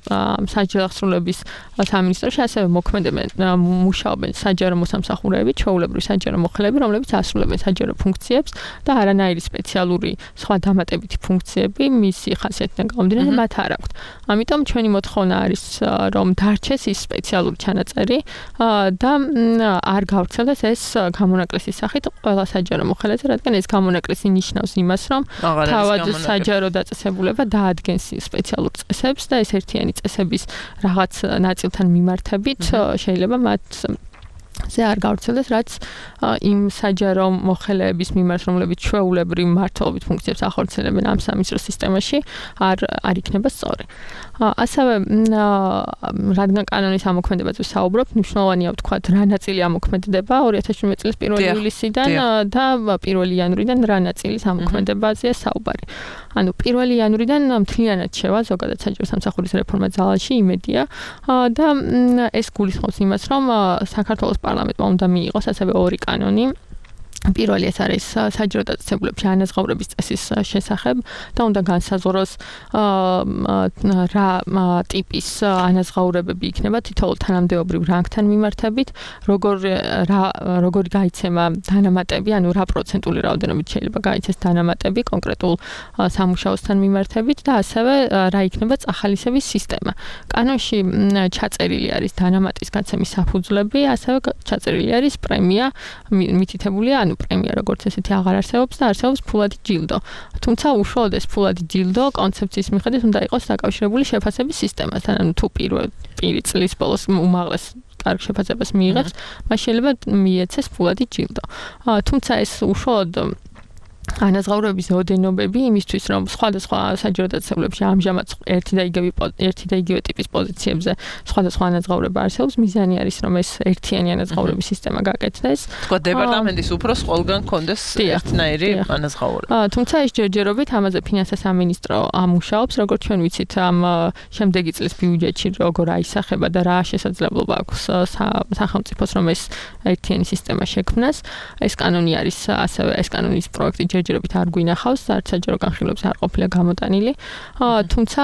სასჯელ აღსრულების სამინისტროში ასევე მოქმედებენ, მუშაობენ საჯარო მოსამსახურეები, ჩვეულებრივი საჯარო მოხელეები, რომლებიც ასრულებენ საჯარო ფუნქციებს და არანაირი სპეციალური სხვა დამატებითი ფუნქციები მისი ხასიათიდან გამომდინარე მათ არ აქვთ. ამიტომ ჩვენი მოთხოვნა არის, რომ დარჩეს ის სპეციალური ჩანაწერი და არ გავრცელდეს ეს გამონაკლისის სახით ყველა საჯარო მოხელეზე, რადგან ეს გამონაკლისი ნიშნავს იმას, რომ თავად საჯარო დაწესებულება დაადგენს სპეციალურ წესებს და ეს ერთიანი წესების რაღაც ნაწილთან მიმართებით შეიძლება მათ ზე არ გავრცელდეს, რაც იმ საჯარო მოხელეების მიმართ, რომლებიც ჩვეულებრივ მმართველობით ფუნქციებს ახორციელებენ ამ სამინისტრო სისტემაში, არ არ იქნება სწორი. ასევე რადგან კანონის ამოქმედებაზე საუბრობთ, მნიშვნელოვანია ვთქვათ, რა ნაწილი ამოქმედდება ორი ათას შვიდმეტი წლის პირველი ივლისიდან და პირველი იანვრიდან რა ნაწილის ამოქმედებაზეა საუბარი. ანუ პირველი იანვრიდან მთლიანად შევა ზოგადად საჯარო სამსახურის რეფორმა ძალაში, იმედია და ეს გულისხმობს იმას, რომ საქართველოს პარლამენტმა უნდა მიიღოს ასევე ორი კანონი. პირველი ეს არის საჯარო დაწესებულებში ანაზღაურების წესის შესახებ და უნდა განსაზღვროს რა ტიპის ანაზღაურებები იქნება თითოეულ თანამდებობრივ რანგთან მიმართებით, როგორ რა როგორი გაიცემა დანამატები, ანუ რა პროცენტული რაოდენობით შეიძლება გაიცეს დანამატები კონკრეტულ სამუშაოსთან მიმართებით და ასევე რა იქნება წახალისების სისტემა. კანონში ჩაწერილი არის დანამატის გაცემის საფუძვლები, ასევე ჩაწერილი არის პრემია მითითებულია ანუ პრემია როგორც ესეთი აღარ არსებობს და არსებობს ფულადი ჯილდო. თუმცა უშუალოდ ეს ფულადი ჯილდო კონცეფციის მიხედვით უნდა იყოს დაკავშირებული შეფასების სისტემასთან. ანუ თუ პირველ პირი წლის ბოლოს უმაღლეს კარგ შეფასებას მიიღებს, მას შეიძლება მიეცეს ფულადი ჯილდო. თუმცა ეს უშუალოდ ანაზღაურების ოდენობები იმისთვის, რომ სხვადასხვა საჯარო დაწესებულებში ამჟამად ერთი და იგივე ერთი და იგივე ტიპის პოზიციებზე სხვადასხვა ანაზღაურება არსებობს, მიზანი არის, რომ ეს ერთიანი ანაზღაურების სისტემა გაკეთდეს. თქვა დეპარტამენტის უფროს ყველგან კონდეს ერთნაირი ანაზღაურება. თუმცა ეს ჯერჯერობით ამაზე ფინანსთა სამინისტრო ამუშაობს, როგორც ჩვენ ვიცით, ამ შემდეგი წლის ბიუჯეტში როგორ აისახება და რა შესაძლებლობა აქვს სახელმწიფოს, რომ ეს ერთიანი სისტემა შექმნას. ეს კანონი არის ასევე ეს კანონის პროექტი ჯერჯერობით არ გვინახავს, არც საჯარო განხილვებს არ ყოფილა გამოტანილი. თუმცა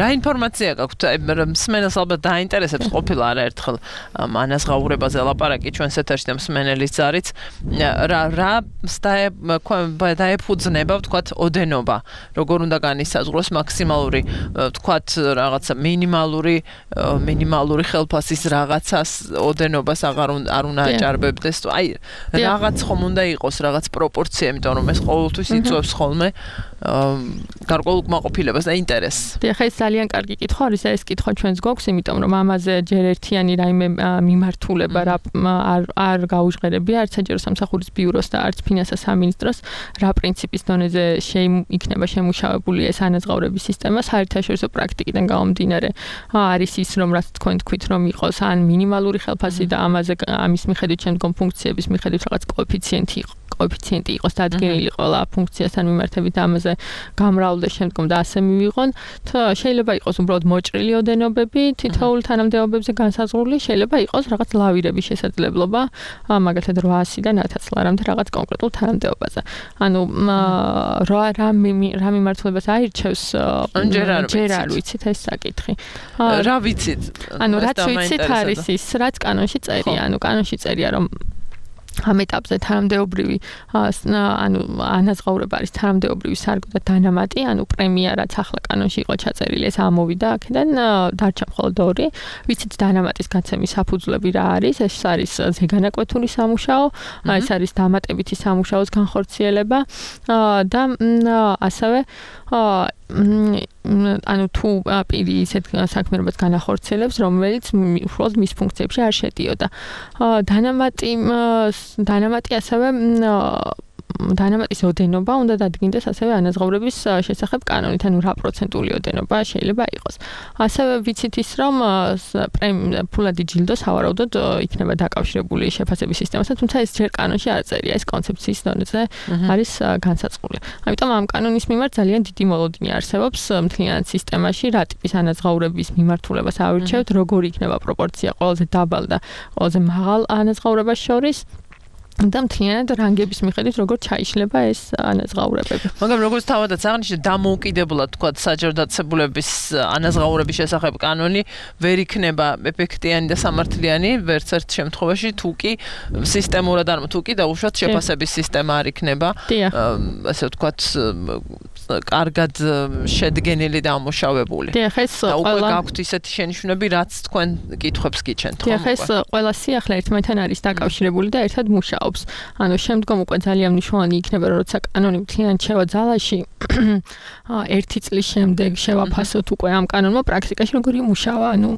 რა ინფორმაცია გაქვთ? მსმენელს ალბათ დაინტერესებს ყოფილა არაერთხელ ანაზღაურებაზე ლაპარაკი ჩვენს ეთერში და მსმენელის ზარიც. რა რა დაეფუძნება ვთქვათ ოდენობა, როგორ უნდა განისაზღვროს მაქსიმალური ვთქვათ რაღაცა მინიმალური მინიმალური ხელფასის რაღაცას ოდენობას აღარ არ უნდა აჭარბებდეს. აი რაღაც ხომ უნდა იყოს რაღაც პროპორცია, იმიტომ რომ ეს ყოველთვის იწვევს ხოლმე გარკვეულ კმაყოფილებას და ინტერესს. დიახ, ეს ძალიან კარგი კითხვა არის და ეს კითხვა ჩვენს გვაქვს, იმიტომ რომ ამაზე ჯერ ერთიანი რაიმე მიმართულება რა არ არ გაუჟღერებია არც საჯარო სამსახურის ბიუროს და არც ფინანსთა სამინისტროს რა პრინციპის დონეზე იქნება შემუშავებული ეს ანაზღაურების სისტემა. საერთაშორისო პრაქტიკიდან გამომდინარე არის ის, რომ რაც თქვენ თქვით, რომ იყოს ან მინიმალური ხელფასი და ამაზე ამის მიხედვით შემდგომ ფუნქციების მიხედვით რაღაც კოეფიციენტი იყო. კოეფიციენტი იყოს დადგენილი ყველა ფუნქციასთან მიმართებით და ამაზე გამრავლდეს შემდგომ და ასე მივიღონ. შეიძლება იყოს უბრალოდ მოჭრილი ოდენობები თითოეულ თანამდებობებზე განსაზღვრული, შეიძლება იყოს რაღაც ლავირების შესაძლებლობა, მაგალითად რვაასიდან ათას ლარამდე რაღაც კონკრეტულ თანამდებობაზე. ანუ რა რა რა მიმართულებას აირჩევს ჯერ არ ვიცით ეს საკითხი. რა ვიცით? ანუ რაც ვიცით არის ის, რაც კანონში წერია, ანუ კანონში წერია რომ ამ ეტაპზე თანამდებობრივი ანუ ანაზღაურება არის თანამდებობრივი სარგო და დანამატი, ანუ პრემია რაც ახლა კანონში იყო ჩაწერილი, ეს ამოვიდა აქედან, დარჩა მხოლოდ ორი. ვიცით დანამატის გაცემის საფუძვლები რა არის? ეს არის ზეგანაკვეთური სამუშაო, ეს არის დამატებითი სამუშაოს განხორციელება და ასევე ანუ თუ პირი ისეთ საქმიანობას განახორციელებს, რომელიც უშუალოდ მის ფუნქციებში არ შედიოდა. დანამატი დანამატი ასევე დანამატის ოდენობა უნდა დადგინდეს ასევე ანაზღაურების შესახებ კანონით, ანუ რა პროცენტული ოდენობა შეიძლება იყოს. ასევე ვიცით ის, რომ ფულადი ჯილდო სავარაუდოდ იქნება დაკავშირებული შეფასების სისტემასთან, თუმცა ეს ჯერ კანონში არ წერია, ეს კონცეფციის დონეზე არის განსაზღვრული. ამიტომ ამ კანონის მიმართ ძალიან დიდი მოლოდინი არსებობს მთლიანად სისტემაში, რა ტიპის ანაზღაურების მიმართულებას ავირჩევთ, როგორი იქნება პროპორცია ყველაზე დაბალ და ყველაზე მაღალ ანაზღაურებას შორის. და მთლიანად რანგების მიხედვით როგორ ჩაიშლება ეს ანაზღაურებები. მაგრამ როგორც თავადაც აღნიშნეთ, დამოუკიდებლად თქვათ საჯარო დაწესებულების ანაზღაურების შესახებ კანონი ვერ იქნება ეფექტიანი და სამართლიანი ვერც ერთ შემთხვევაში, თუ კი სისტემურად არ თუ კი დაუშვათ შეფასების სისტემა არ იქნება. ასე ვთქვათ, კარგად შედგენილი და ამოშავებული. დიახ, ეს და უკვე ყველა გაქვთ ისეთი შენიშვნები, რაც თქვენ კითხვებს გიჩენთ, ხო? დიახ, ეს ყველა სიახლე ერთმანეთთან არის დაკავშირებული და ერთად მუშაობს. ანუ შემდგომ უკვე ძალიან მნიშვნელოვანი იქნება, როცა კანონი მთლიანად შევა ძალაში, ერთი წლის შემდეგ შევაფასოთ უკვე ამ კანონმა პრაქტიკაში როგორი მუშავა, ანუ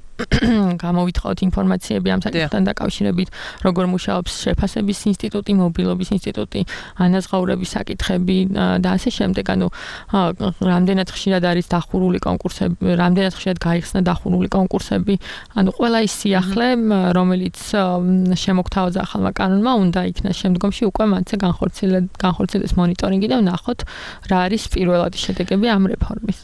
გამოვითხოვოთ ინფორმაციები ამ საკითხთან დაკავშირებით, როგორ მუშაობს შეფასების ინსტიტუტი, მობილობის ინსტიტუტი, ანაზღაურების საკითხები და ასე შემდეგ. ანუ რამდენად ხშირად არის დახურული კონკურსები, რამდენად ხშირად გაიხსნა დახურული კონკურსები. ანუ ყველა ის სიახლე, რომელიც შემოგთავაზა ახალმა კანონმა, უნდა იქნას შემდგომში უკვე მათზე განხორციელდეს მონიტორინგი და ვნახოთ რა არის პირველადი შედეგები ამ რეფორმის.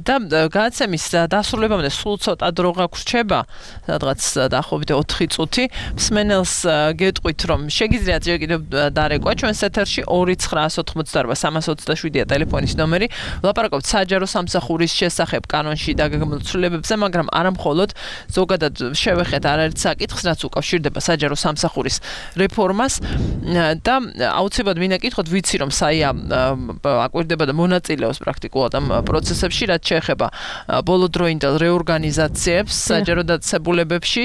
და გადაცემის დასრულებამდე სულ ცოტა დრო გაგვრჩება, სადღაც დაახლოებით ოთხი წუთი. მსმენელს გეტყვით, რომ შეგიძლიათ ჯერ კიდევ დარეკვა ჩვენს ეთერში ორი ცხრა ოთხმოცდაარბა სამას ოცდაშვიდია ტელეფონის ნომერი. ვლაპარაკობთ საჯარო სამსახურის შესახებ კანონში დაგეგმილ ცვლილებებზე, მაგრამ არა მხოლოდ ზოგადად შევეხეთ არაერთ საკითხს, რაც უკავშირდება საჯარო სამსახურის რეფორმას და აუცილებლად მინდა კითხოთ, ვიცი რომ საია აკვირდება და მონაწილეობს პრაქტიკულად ამ პროცესებში, რაც შეეხება ბოლოდროინდელ რეორგანიზაციებს საჯარო დაწესებულებებში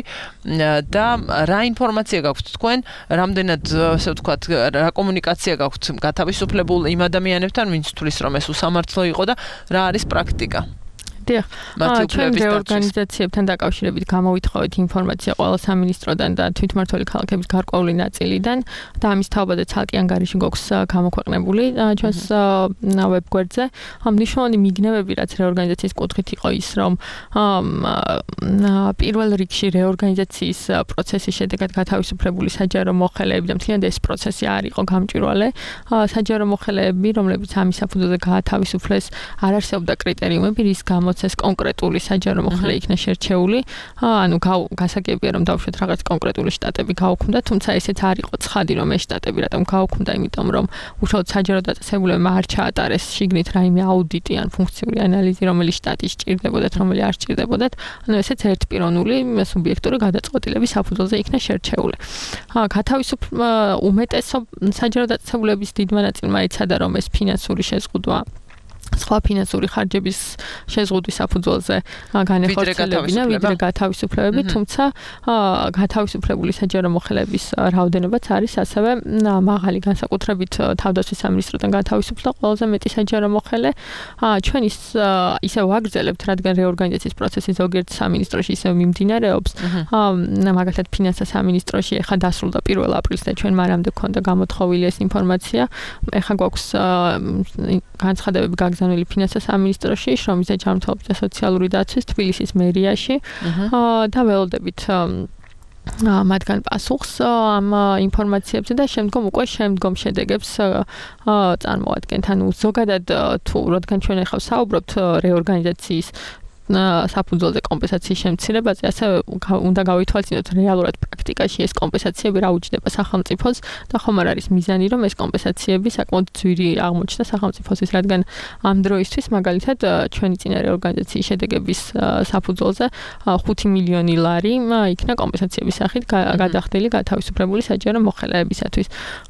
და რა ინფორმაცია გაქვთ თქვენ, რამდენად ასე ვთქვათ, რა კომუნიკაცია გაქვთ გათავისუფლებულ იმ ადამიანებთან, ვინც თulis რომ ეს უსამართლო იყო და რა არის პრაქტიკა? დიახ, ჩვენ რეორგანიზაციებთან დაკავშირებით გამოვითხოვეთ ინფორმაცია ყველა სამინისტროდან და თვითმმართველი ქალაქების გარკვეული ნაწილიდან და ამის თაობა და ცალკე ანგარიში გვაქვს გამოქვეყნებული ჩვენს ვებგვერდზე. მნიშვნელოვანი მიგნებები, რაც რეორგანიზაციის კუთხით იყო ის, რომ პირველ რიგში რეორგანიზაციის პროცესის შედეგად გათავისუფლებული საჯარო მოხელეები და მთლიანად ეს პროცესი არ იყო გამჭვირვალე. საჯარო მოხელეები, რომლებიც ამის საფუძველზე გაათავისუფლეს, არ არსებობდა კრიტერიუმები, რის გამო ეს კონკრეტული საჯარო მოხელე იქნა შერჩეული. ანუ გასაგებია რომ დავუშვათ რაღაც კონკრეტული შტატები გაუქმდა, თუმცა ესეც არ იყო ცხადი რომ ეს შტატები რატომ გაუქმდა, იმიტომ რომ უშუალოდ საჯარო დაწესებულებამ არ ჩაატარეს შიგნით რაიმე აუდიტი ან ფუნქციური ანალიზი, რომელი შტატის სჭირდებოდათ, რომელი არ სჭირდებოდათ. ანუ ესეც ერთპიროვნული სუბიექტური გადაწყვეტილების საფუძველზე იქნა შერჩეული. გათავისუფლ უმეტესო საჯარო დაწესებულების დიდმა ნაწილმა იცადა რომ ეს ფინანსური შეზღუდვა სხვა ფინანსური ხარჯების შეზღუდვის საფუძველზე განეხორციელებინა ვიდრე გათავისუფლებები, თუმცა გათავისუფლებული საჯარო მოხელეების რაოდენობაც არის ასევე მაღალი, განსაკუთრებით თავდაცვის სამინისტროდან გათავისუფლდა ყველაზე მეტი საჯარო მოხელე. ჩვენ ის ისე ვაგრძელებთ, რადგან რეორგანიზაციის პროცესი ზოგიერთ სამინისტროში ისე მიმდინარეობს. მაგალითად ფინანსთა სამინისტროში ეხლა დასრულდა პირველ აპრილს და ჩვენ მანამდე გვქონდა გამოთხოვილი ეს ინფორმაცია. ეხლა გვაქვს განცხადებები გაგზავნილი ფინანსთა სამინისტროში, შრომის და ჯანმრთელობის და სოციალური დაცვის თბილისის მერიაში და ველოდებით მათგან პასუხს ამ ინფორმაციებზე და შემდგომ უკვე შემდგომ შედეგებს წარმოადგენთ. ანუ ზოგადად თუ რადგან ჩვენ ახლა საუბრობთ რეორგანიზაციის საფუძველზე კომპენსაციის შემცირებაზე, ასევე უნდა გავითვალისწინოთ რეალურად პრაქტიკაში ეს კომპენსაციები რა უჯდება სახელმწიფოს და ხომ არ არის მიზანი რომ ეს კომპენსაციები საკმაოდ ძვირი აღმოჩნდა სახელმწიფოსთვის, რადგან ამ დროისთვის მაგალითად ჩვენი წინა რეორგანიზაციის შედეგების საფუძველზე ხუთი მილიონი ლარი იქნა კომპენსაციების სახით გადახდილი გათავისუფლებული საჯარო მოხელეებისათვის.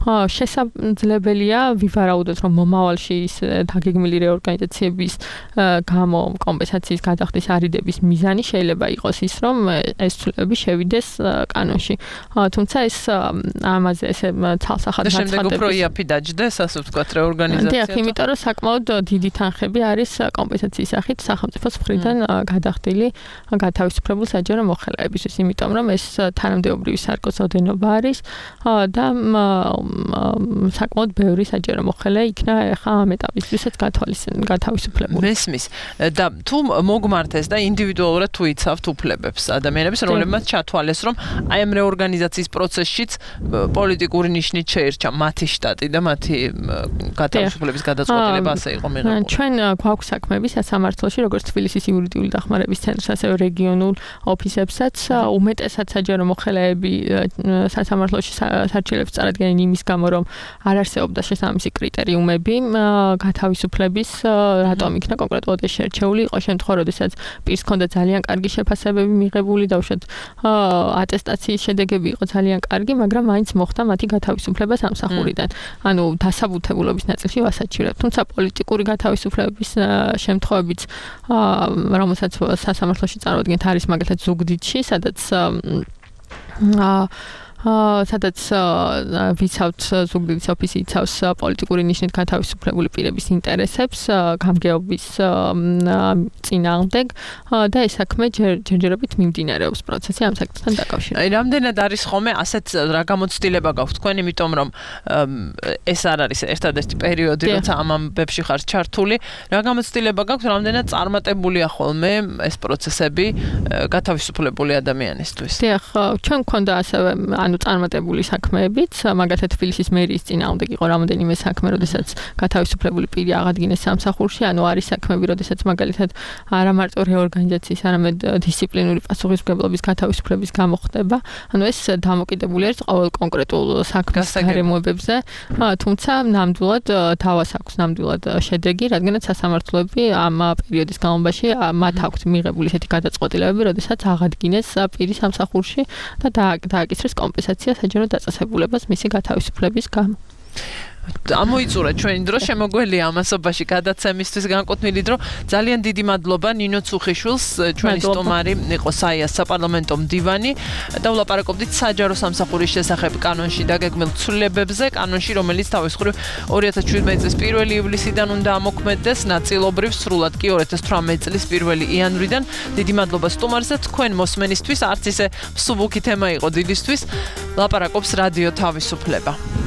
შესაძლებელია ვივარაუდოთ რომ მომავალში ის დაგეგმილი რეორგანიზაციების გამო კომპენსაციის გადახდის არიდების მიზანი შეიძლება იყოს ის, რომ ეს ცვლილებები შევიდეს კანონში. თუმცა ეს ამაზე ესე ცალსახად და შემდეგ უფრო იაფი დაჯდეს, ასე ვთქვათ, რეორგანიზაცია. დიახ, იმიტომ რომ საკმაოდ დიდი თანხები არის კომპენსაციის სახით სახელმწიფოს მხრიდან გადახდილი გათავისუფლებულ საჯარო მოხელეებისთვის, იმიტომ რომ ეს თანამდებობრივი სარგოსოდენობა არის და საკმაოდ ბევრი საჯარო მოხელე იქნა ახლა ამ ეტაპისთვისაც გათავისუფლებული. მესმის და თუ მოგმართეს და ინდივიდუალურად თუ იცავთ უფლებებს ადამიანებს, რომლებმაც ჩათვალეს, რომ აი ამ რეორგანიზაციის პროცესშიც პოლიტიკური ნიშნით შეირჩა მათი შტატი და მათი გათავისუფლების გადაწყვეტილება ასე იყო მიღებული. ჩვენ გვაქვს საქმეები სასამართლოში, როგორც თბილისის იურიდიული დახმარების ცენტრს, ასევე რეგიონულ ოფისებსაც, უმეტესად საჯარო მოხელეები სასამართლოში სარჩელებს წარადგენენ იმის გამო, რომ არ არსებობდა შესაბამისი კრიტერიუმები გათავისუფლების, რატომ იქნა კონკრეტულად ეს შერჩეული, იყო შემთხვევა, როდესაც როდესაც პირს ჰქონდა ძალიან კარგი შეფასებები მიღებული და უშუალოდ ატესტაციის შედეგები იყო ძალიან კარგი, მაგრამ მაინც მოხდა მათი გათავისუფლება სამსახურიდან. ანუ დასაბუთებულობის ნაწილში ვასაჩივრებ. თუმცა პოლიტიკური გათავისუფლების შემთხვევებიც, რომელსაც სასამართლოში წარუდგენთ, არის მაგალითად ზუგდიდში, სადაც აა სადაც ვიცავთ ზუგდიდის ოფისი იცავს პოლიტიკური ნიშნით გათავისუფლებული პირების ინტერესებს გამგეობის წინააღმდეგ და ეს საქმე ჯერჯერობით მიმდინარეობს პროცესი ამ საკითხთან დაკავშირებით. აი რამდენად არის ხოლმე ასეთ რა გამოცდილება გაქვთ თქვენ, იმიტომ რომ ეს არ არის ერთადერთი პერიოდი, როცა ამ ამბებში ხარ ჩართული, რა გამოცდილება გაქვთ, რამდენად წარმატებულია ხოლმე ეს პროცესები გათავისუფლებული ადამიანისთვის? დიახ, ჩვენ გვქონდა ასევე ანუ წარმატებული საქმეებიც, მაგალითად თბილისის მერიის წინააღმდეგ იყო რამოდენიმე საქმე, როდესაც გათავისუფლებული პირი აღადგინეს სამსახურში, ანუ არის საქმეები, როდესაც მაგალითად არა მარტო რეორგანიზაციის, არამედ დისციპლინური პასუხისმგებლობის გათავისუფლების გამო ხდება. ანუ ეს დამოკიდებული არის ყოველ კონკრეტულ საქმის გარემოებებზე, თუმცა ნამდვილად თავას აქვს ნამდვილად შედეგი, რადგანაც სასამართლოები ამ პერიოდის განმავლობაში მათ აქვთ მიღებული ესეთი გადაწყვეტილებები, როდესაც აღადგინეს პირი სამსახურში და დააკისრეს კომპენსაცია საჯარო დაწესებულებას მისი გათავისუფლების გამო. ამოიწურა ჩვენი დრო, შემოგველია ამასობაში გადაცემისთვის განკუთვნილი დრო. ძალიან დიდი მადლობა ნინო ცუხიშვილს, ჩვენი სტუმარი იყო საიას საპარლამენტო მდივანი და ვლაპარაკობდით საჯარო სამსახურის შესახებ კანონში დაგეგმილ ცვლილებებზე, კანონში რომელიც თავის მხრივ ორი ათას შვიდმეტი წლის პირველი ივლისიდან უნდა ამოქმედდეს, ნაწილობრივ სრულად კი ორი ათას თვრამეტი წლის პირველი იანვრიდან. დიდი მადლობა სტუმარზე, თქვენ მოსმენისთვის, არც ისე მსუბუქი თემა იყო დილისთვის. ლაპარაკობს რადიო თავისუფლება.